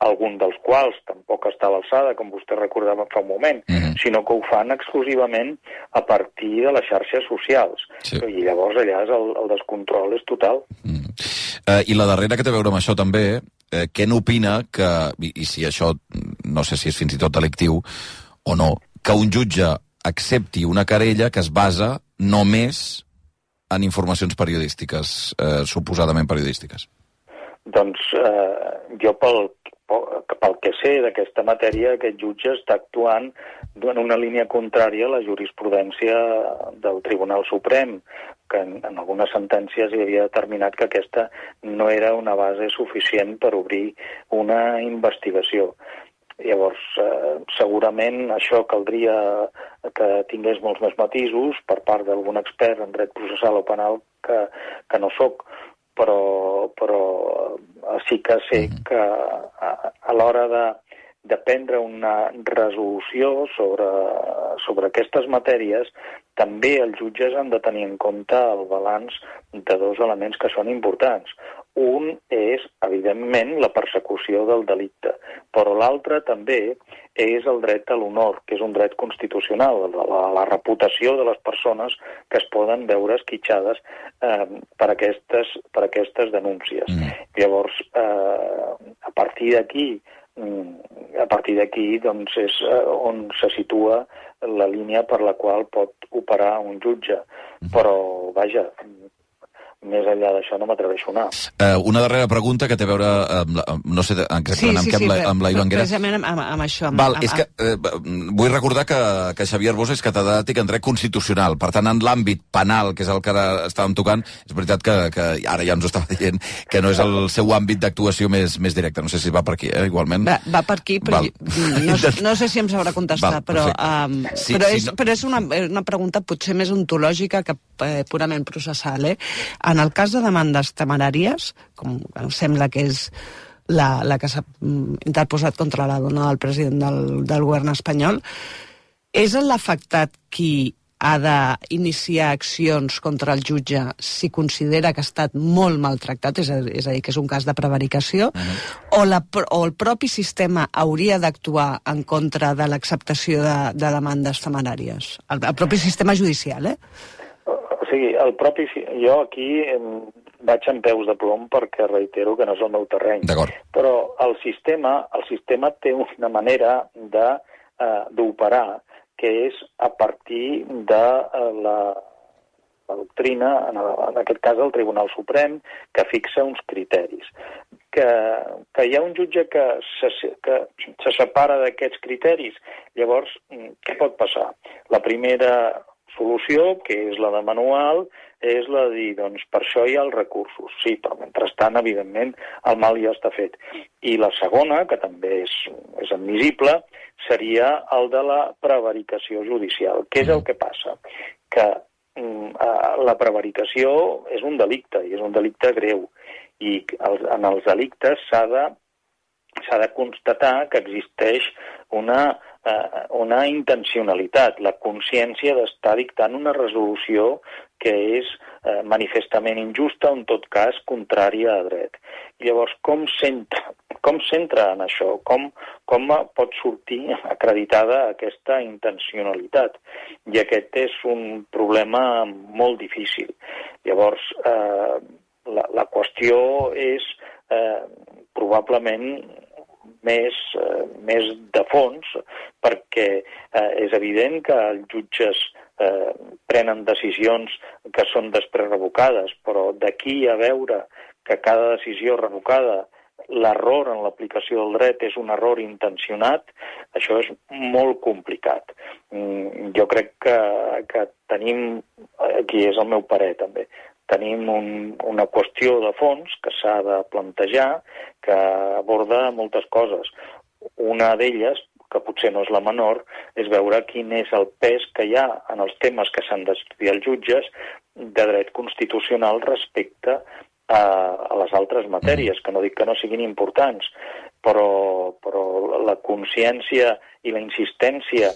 algun dels quals tampoc està a l'alçada, com vostè recordava fa un moment, sinó que ho fan exclusivament a partir de les xarxes socials. I llavors allà el descontrol és total. I la darrera que té a veure amb això també, què n'opina que, i si això no sé si és fins i tot delictiu o no, que un jutge accepti una querella que es basa només en informacions periodístiques, suposadament periodístiques? Doncs jo pel que sé d'aquesta matèria, aquest jutge està actuant en una línia contrària a la jurisprudència del Tribunal Suprem, que en algunes sentències hi havia determinat que aquesta no era una base suficient per obrir una investigació. Llavors, segurament això caldria que tingués molts més matisos per part d'algun expert en dret processal o penal que no sóc, però sí que sé que a l'hora de prendre una resolució sobre aquestes matèries, també els jutges han de tenir en compte el balanç de dos elements que són importants. Un és, evidentment, la persecució del delicte, però l'altre també és el dret a l'honor, que és un dret constitucional, la reputació de les persones que es poden veure esquitxades per aquestes denúncies. Llavors, a partir d'aquí doncs, és on se situa la línia per la qual pot operar un jutge. Però, vaja, més enllà d'això no m'atreveixo a anar. Una darrera pregunta que té a veure no sé exactament amb la Ivanguera. Precisament amb això. És que vull recordar que Xavier Arbós és catedràtic en dret constitucional. Per tant, en l'àmbit penal, que és el que ara estàvem tocant, és veritat que ara ja ens ho estava dient, que no és el seu àmbit d'actuació més directe. No sé si va per aquí, igualment. Va per aquí, però no sé si em sabrà contestar, però és una pregunta potser més ontològica que purament processal, En el cas de demandes temeràries, com sembla que és la que s'ha interposat contra la dona del president del govern espanyol, és l'afectat qui ha d'iniciar accions contra el jutge si considera que ha estat molt maltractat, és a dir, que és un cas de prevaricació, o el propi sistema hauria d'actuar en contra de l'acceptació de demandes temeràries? El propi sistema judicial, O sigui, jo aquí vaig en peus de plom perquè reitero que no és el meu terreny. Però el sistema té una manera d'operar que és a partir de la doctrina, en aquest cas el Tribunal Suprem, que fixa uns criteris. Que hi ha un jutge que se separa d'aquests criteris. Llavors, què pot passar? La primera solució, que és la de manual, és la de dir, doncs, per això hi ha els recursos. Sí, però mentrestant, evidentment, el mal ja està fet. I la segona, que també és admissible, seria el de la prevaricació judicial. Què és el que passa? Que la prevaricació és un delicte, i és un delicte greu. I en els delictes s'ha de constatar que existeix una intencionalitat, la consciència d'estar dictant una resolució que és manifestament injusta o, en tot cas, contrària a dret. Llavors, com s'entra en això? Com pot sortir acreditada aquesta intencionalitat? I aquest és un problema molt difícil. Llavors, la qüestió és probablement més de fons, perquè és evident que els jutges prenen decisions que són després revocades, però d'aquí a veure que cada decisió revocada, l'error en l'aplicació del dret és un error intencionat, això és molt complicat. Jo crec que tenim, aquí és el meu parer també, tenim una qüestió de fons que s'ha de plantejar, que aborda moltes coses. Una d'elles, que potser no és la menor, és veure quin és el pes que hi ha en els temes que s'han d'estudiar els jutges de dret constitucional respecte a les altres matèries, que no dic que no siguin importants, però la consciència i la insistència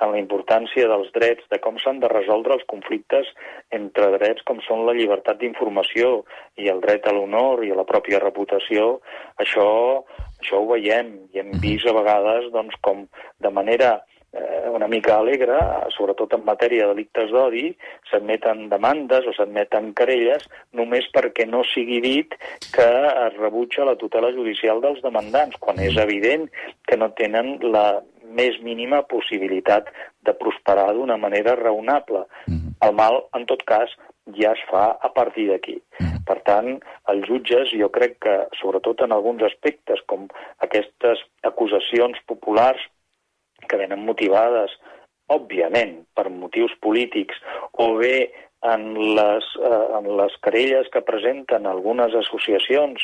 en la importància dels drets, de com s'han de resoldre els conflictes entre drets com són la llibertat d'informació i el dret a l'honor i a la pròpia reputació, això ho veiem i hem vist a vegades doncs, com de manera una mica alegre, sobretot en matèria de delictes d'odi, s'admeten demandes o s'admeten querelles només perquè no sigui dit que es rebutja la tutela judicial dels demandants, quan és evident que no tenen la més mínima possibilitat de prosperar d'una manera raonable. El mal, en tot cas, ja es fa a partir d'aquí. Per tant, els jutges, jo crec que, sobretot en alguns aspectes, com aquestes acusacions populars que venen motivades, òbviament, per motius polítics, o bé en les querelles que presenten algunes associacions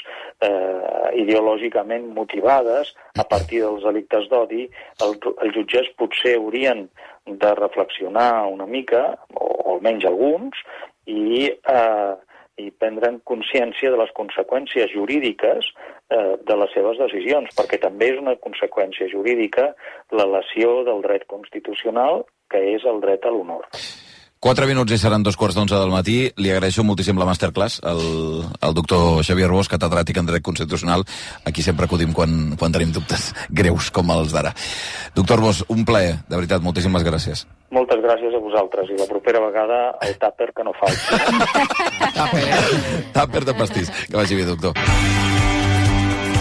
ideològicament motivades a partir dels delictes d'odi, els jutges potser haurien de reflexionar una mica, o almenys alguns, i prendre'n consciència de les conseqüències jurídiques de les seves decisions, perquè també és una conseqüència jurídica la lesió del dret constitucional, que és el dret a l'honor. 4 minuts i seran 2:45 del matí. Li agraeixo moltíssim la masterclass al doctor Xavier Bosch, catedràtic en dret constitucional. Aquí sempre acudim quan tenim dubtes greus com els d'ara. Doctor Bosch, un plaer, de veritat, moltíssimes gràcies. Moltes gràcies a vosaltres, i la propera vegada el tàper que no falti. Tàper de pastís. Que vagi bé, doctor.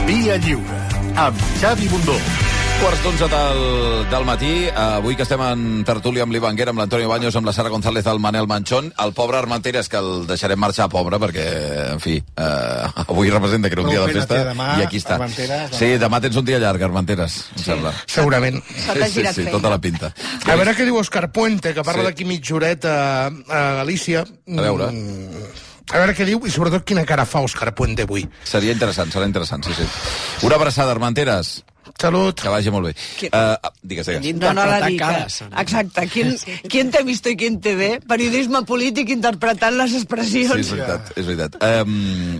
Via Lliure, amb Xavi Bundó. 11:15 del matí, avui que estem en tertúlia amb l'Ivanguera, amb l'Antonio Baños, amb la Sara González, el Manel Manchón, el pobre Armenteres, que el deixarem marxar pobre, perquè, en fi, avui representa que era un dia de festa, i aquí està. Sí, demà tens un dia llarg, Armenteres, em sembla. Segurament. Sí, tota la pinta. A veure què diu Òscar Puente, que parla d'aquí mitja horeta a Galícia. A veure. A veure què diu, i sobretot quina cara fa Òscar Puente avui. Serà interessant, sí. Una abraçada, Armenteres. Salut. Que vagi molt bé. Digues. No la dic. Exacte. ¿Quién te ha visto y quién te ve? Periodisme polític interpretant les expressions. Sí, és veritat.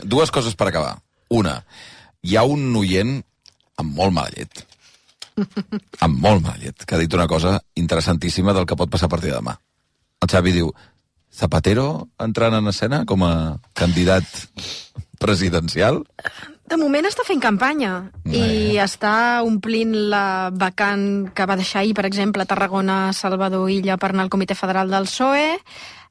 Dues coses per acabar. Una, hi ha un oient amb molt mala llet. Que ha dit una cosa interessantíssima del que pot passar a partir de demà. El Xavi diu, Zapatero entrant en escena com a candidat presidencial? De moment està fent campanya i està omplint la vacant que va deixar ahir, per exemple, a Tarragona, Salvador Illa per anar al Comitè Federal del PSOE,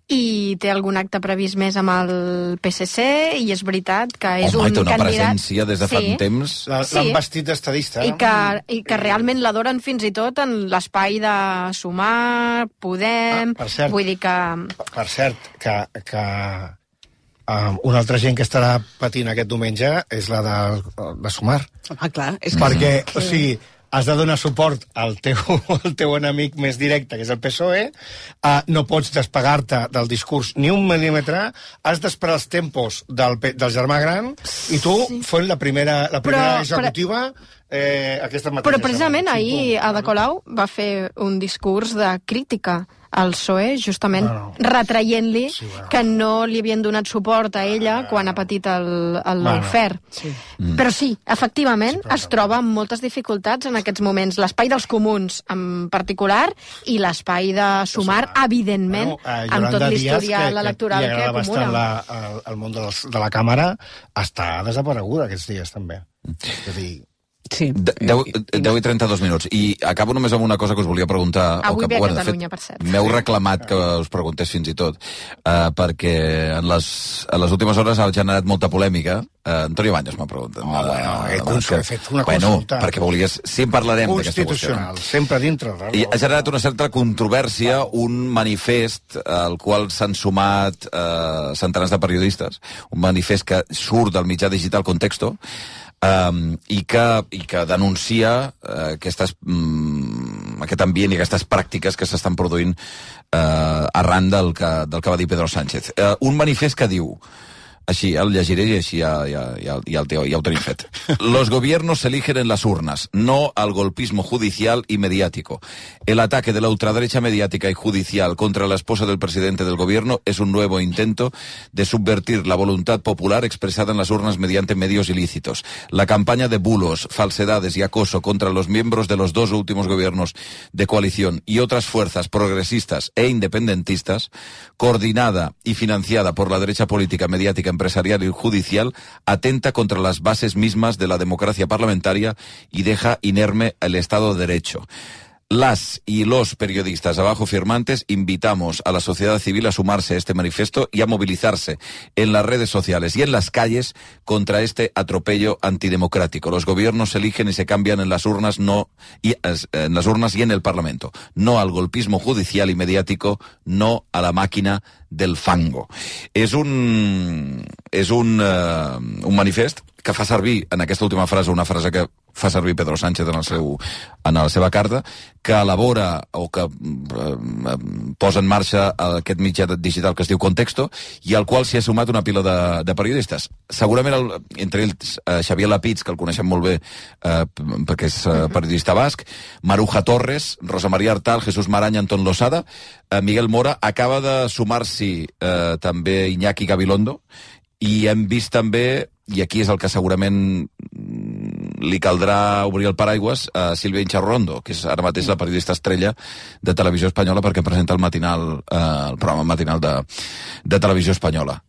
i té algun acte previst més amb el PSC, i és veritat que és un té una candidat... presència des de fa un temps. L'han vestit d'estadista. I que realment l'adoren fins i tot en l'espai de Sumar, Podem... Per cert, vull dir que... Per cert, que una altra gent que estarà patint aquest diumenge és la de Sumar. Clar. Perquè, o sigui, has de donar suport al teu enemic més directe, que és el PSOE, no pots despegar-te del discurs ni un mil·límetre, has d'esperar els tempos del germà gran, i tu fent la primera executiva aquesta mateixa. Però precisament ahir Ada Colau va fer un discurs de crítica al PSOE, justament retraient-li que no li havien donat suport a ella quan ha patit el lawfare. Però sí, efectivament, es troba amb moltes dificultats en aquests moments. L'espai dels comuns, en particular, i l'espai de Sumar, evidentment, amb tot l'historial electoral que acumula. El món de la càmera està desapareguda aquests dies, també. És a dir... Sí. 10 i 32 minuts. I acabo només amb una cosa que us volia preguntar. Avui ve a Catalunya, per cert. M'heu reclamat que us preguntés fins i tot, perquè en les últimes hores ha generat molta polèmica. Antonio Baños m'ha preguntat. He fet una consulta. Perquè volies... Sí, en parlarem d'aquesta qüestió. Constitucional, sempre dintre. I ha generat una certa controvèrsia, un manifest al qual s'han sumat centenars de periodistes, un manifest que surt del mitjà digital Contexto, i que denuncia aquest ambient i aquestes pràctiques que s'estan produint arran del que va dir Pedro Sánchez. Un manifest que diu, així, el llegiré i així ja ho tenim fet. Los gobiernos se eligen en las urnas, no al golpismo judicial y mediático. El ataque de la ultraderecha mediática y judicial contra la esposa del presidente del gobierno es un nuevo intento de subvertir la voluntad popular expresada en las urnas mediante medios ilícitos. La campaña de bulos, falsedades y acoso contra los miembros de los dos últimos gobiernos de coalición y otras fuerzas progresistas e independentistas, coordinada y financiada por la derecha política, mediática, empresarial y judicial, atenta contra las bases mismas de la democracia parlamentaria y deja inerme el Estado de Derecho. Las y los periodistas abajo firmantes invitamos a la sociedad civil a sumarse a este manifiesto y a movilizarse en las redes sociales y en las calles contra este atropello antidemocrático. Los gobiernos se eligen y se cambian en las urnas, en las urnas y en el Parlamento. No al golpismo judicial y mediático, no a la máquina del fango. És un manifest que fa servir en aquesta última frase una frase que fa servir Pedro Sánchez en la seva carta, que elabora o que posa en marxa aquest mitjà digital que es diu Contexto, i al qual s'hi ha sumat una pila de periodistes. Segurament, entre ells, Xavier Lapitz, que el coneixem molt bé perquè és periodista basc, Maruja Torres, Rosa María Artal, Jesús Maraña, Antón Losada, Miguel Mora, acaba de sumar-s'hi també Iñaki Gabilondo, i hem vist també, i aquí és el que segurament li caldrà obrir el paraigües, a Sílvia Incharrondo, que és ara mateix la periodista estrella de Televisió Espanyola, perquè presenta el programa matinal de Televisió Espanyola.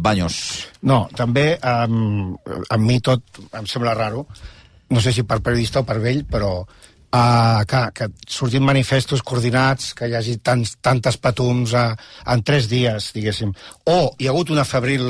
Baños. No, també a mi tot em sembla raro, no sé si per periodista o per vell, però que surtin manifestos coordinats, que hi hagi tantes patums en 3 dies, diguéssim, o hi ha hagut una febril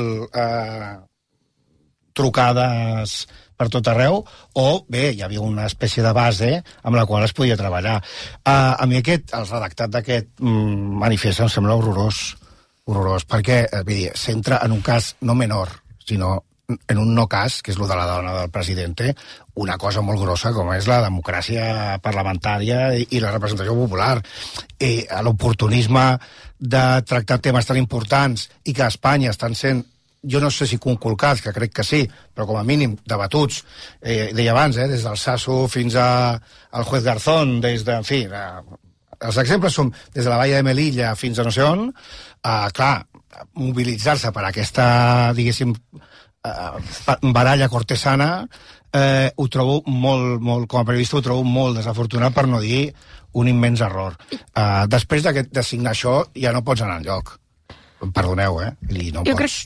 trucades per tot arreu, o bé, hi havia una espècie de base amb la qual es podia treballar. A mi el redactat d'aquest manifest em sembla horrorós, perquè s'entra en un cas no menor, sinó en un no cas, que és el de la dona del presidente, una cosa molt grossa com és la democràcia parlamentària i la representació popular. L'oportunisme de tractar temes tan importants i que a Espanya estan sent, jo no sé si conculcats, que crec que sí, però com a mínim debatuts, deia abans, des del Sasso fins al juez Garzón, en fi, els exemples són des de la Valla de Melilla fins a no sé on. Clar, mobilitzar-se per aquesta, diguéssim, baralla cortesana, ho trobo molt, com a periodista ho trobo molt desafortunat, per no dir un immens error. Després de signar això ja no pots anar enlloc. Perdoneu, no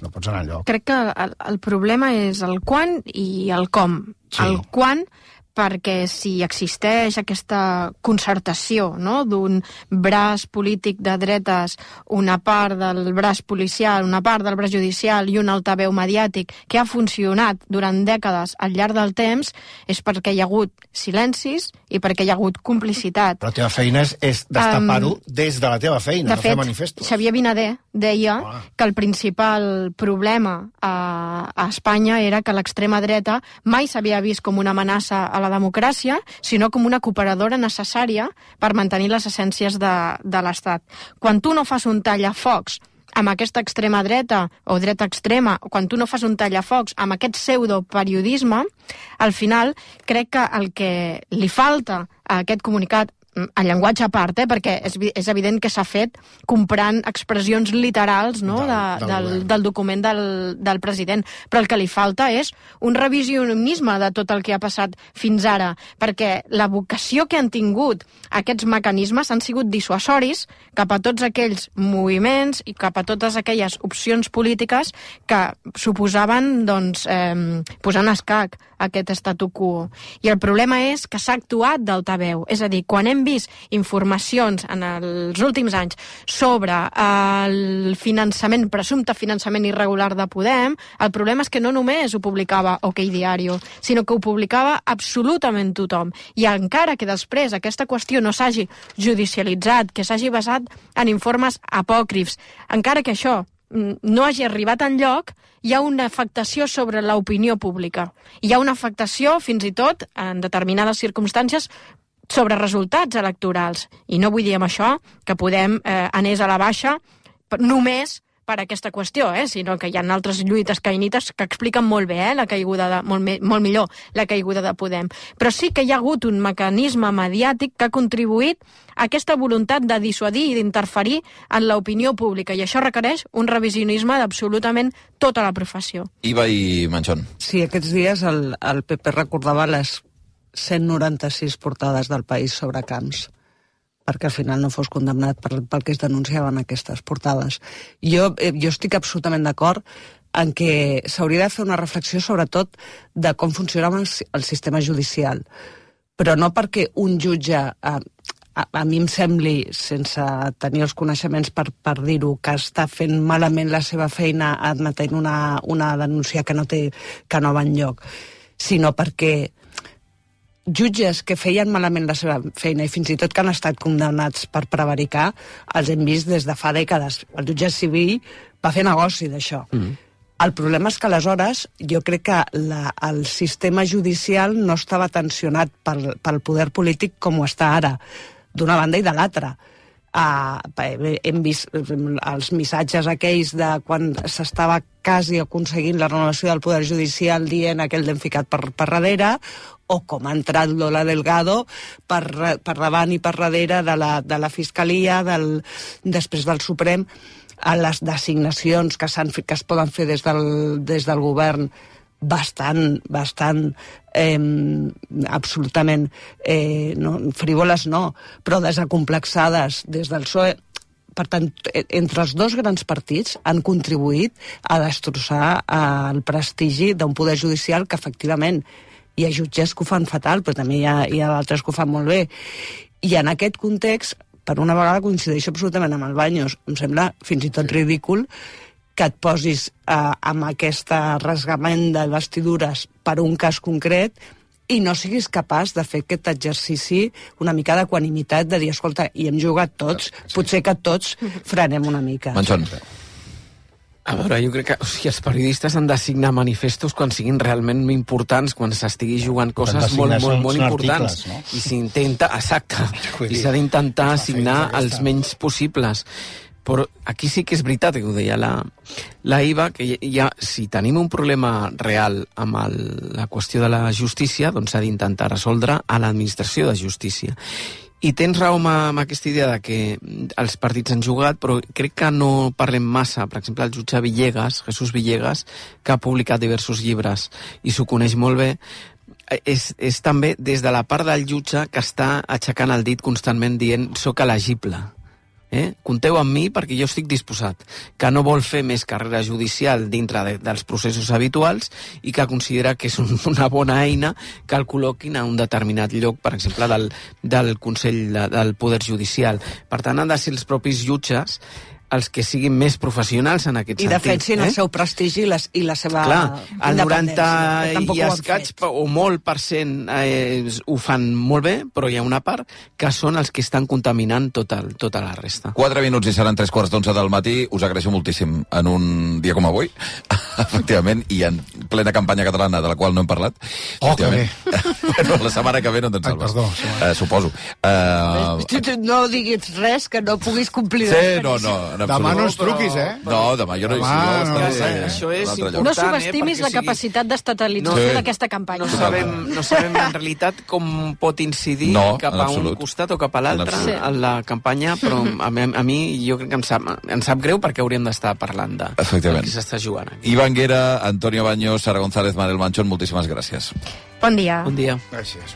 pots anar enlloc. Crec que el problema és el quan i el com. Sí. El quan, perquè si existeix aquesta concertació, no?, d'un braç polític de dretes, una part del braç policial, una part del braç judicial i un altaveu mediàtic que ha funcionat durant dècades al llarg del temps, és perquè hi ha hagut silencis i perquè hi ha hagut complicitat. Però la teva feina és destapar-ho des de la teva feina, no fer manifestos. De fet, Xavier Vinader deia que el principal problema a Espanya era que l'extrema dreta mai s'havia vist com una amenaça a la democràcia, sinó com una cooperadora necessària per mantenir les essències de l'Estat. Quan tu no fas un tallafocs amb aquesta extrema dreta o dreta extrema, o quan tu no fas un tallafocs amb aquest pseudoperiodisme, al final crec que el que li falta a aquest comunicat, en llenguatge a part, perquè és evident que s'ha fet comprant expressions literals, no?, del document del president, però el que li falta és un revisionisme de tot el que ha passat fins ara, perquè la vocació que han tingut aquests mecanismes han sigut dissuasoris cap a tots aquells moviments i cap a totes aquelles opcions polítiques que suposaven, doncs, posar en escac aquest statu quo. I el problema és que s'ha actuat d'altaveu, és a dir, quan hem vist informacions en els últims anys sobre el finançament, presumpte finançament irregular de Podem, el problema és que no només ho publicava OK Diario, sinó que ho publicava absolutament tothom. I encara que després aquesta qüestió no s'hagi judicialitzat, que s'hagi basat en informes apòcrifs, encara que això no hagi arribat enlloc, hi ha una afectació sobre l'opinió pública. Hi ha una afectació, fins i tot, en determinades circumstàncies, sobre resultats electorals. I no vull dir amb això que Podem anés a la baixa només per aquesta qüestió, sinó que hi ha altres lluites caïnites que expliquen molt bé la caiguda molt millor la caiguda de Podem. Però sí que hi ha hagut un mecanisme mediàtic que ha contribuït a aquesta voluntat de dissuadir i d'interferir en l'opinió pública, i això requereix un revisionisme d'absolutament tota la professió. Iva i Manchón. Sí, aquests dies el PP recordava les 196 portades del País sobre Camps, perquè al final no fos condemnat pel que es denunciaven aquestes portades. Jo estic absolutament d'acord en que s'hauria de fer una reflexió sobretot de com funciona el sistema judicial, però no perquè un jutge, a mi em sembli, sense tenir els coneixements per dir-ho, que està fent malament la seva feina admetent una denúncia que no va enlloc, sinó perquè jutges que feien malament la seva feina i fins i tot que han estat condemnats per prevaricar, els hem vist des de fa dècades. El jutge civil va fer negoci d'això. El problema és que aleshores jo crec que el sistema judicial no estava tensionat pel poder polític com ho està ara, d'una banda i de l'altra. Hem vist els missatges aquells de quan s'estava quasi aconseguint la renovació del poder judicial dient aquell l'hem ficat per darrere, o com ha entrat Lola Delgado per davant i per darrere de la Fiscalia, després del Suprem, a les designacions que es poden fer des del govern bastant absolutament frívoles però desacomplexades des del PSOE. Per tant, entre els dos grans partits han contribuït a destrossar el prestigi d'un poder judicial que efectivament hi ha jutges que ho fan fatal, però també hi ha d'altres que ho fan molt bé. I en aquest context, per una vegada coincideixo absolutament amb el Baños, em sembla fins i tot ridícul que et posis amb aquesta rasgament de vestidures per un cas concret i no siguis capaç de fer aquest exercici una mica d'equanimitat, de dir, escolta, hi hem jugat tots, potser que tots frenem una mica. Manchón. A veure, jo crec que els periodistes han de signar manifestos quan siguin realment importants, quan s'estigui jugant coses molt importants. Articles, no? I s'intenta, exacte, i s'ha d'intentar signar els menys possibles. Però aquí sí que és veritat, que ho deia la Iva, que si tenim un problema real amb la qüestió de la justícia, doncs s'ha d'intentar resoldre a l'administració de justícia. I tens raó amb aquesta idea de que els partits han jugat, però crec que no parlem massa. Per exemple, el jutge Jesús Villegas, que ha publicat diversos llibres i s'ho coneix molt bé, és també des de la part del jutge que està aixecant el dit constantment dient «soc elegible». Compteu amb mi perquè jo estic disposat, que no vol fer més carrera judicial dintre dels processos habituals i que considera que és una bona eina que el col·loquin a un determinat lloc, per exemple, del Consell del Poder Judicial. Per tant, han de ser els propis jutges els que siguin més professionals en aquest sentit. I defensin el seu prestigi i la seva el 90 i escaig o molt % ho fan molt bé, però hi ha una part que són els que estan contaminant tota la resta. 4 minuts i seran 3:15 del matí. Us agraeixo moltíssim en un dia com avui, efectivament, i en plena campanya catalana de la qual no hem parlat. Oh, que bé. Bueno, la setmana que ve no te'n salves. Perdó. Suposo. No diguis res que no puguis complir. Sí, no. Demà no ens truquis, No, demà jo no hi seré. Això és important. No subestimis la capacitat d'estatalització d'aquesta campanya. No sabem en realitat com pot incidir cap a un costat o cap a l'altre en la campanya, però a mi jo crec que em sap greu perquè hauríem d'estar parlant del que s'està jugant aquí. Iva Anguera, Antonio Baños, Sara González, Manel Manchón, moltíssimes gràcies. Bon dia. Bon dia. Gràcies.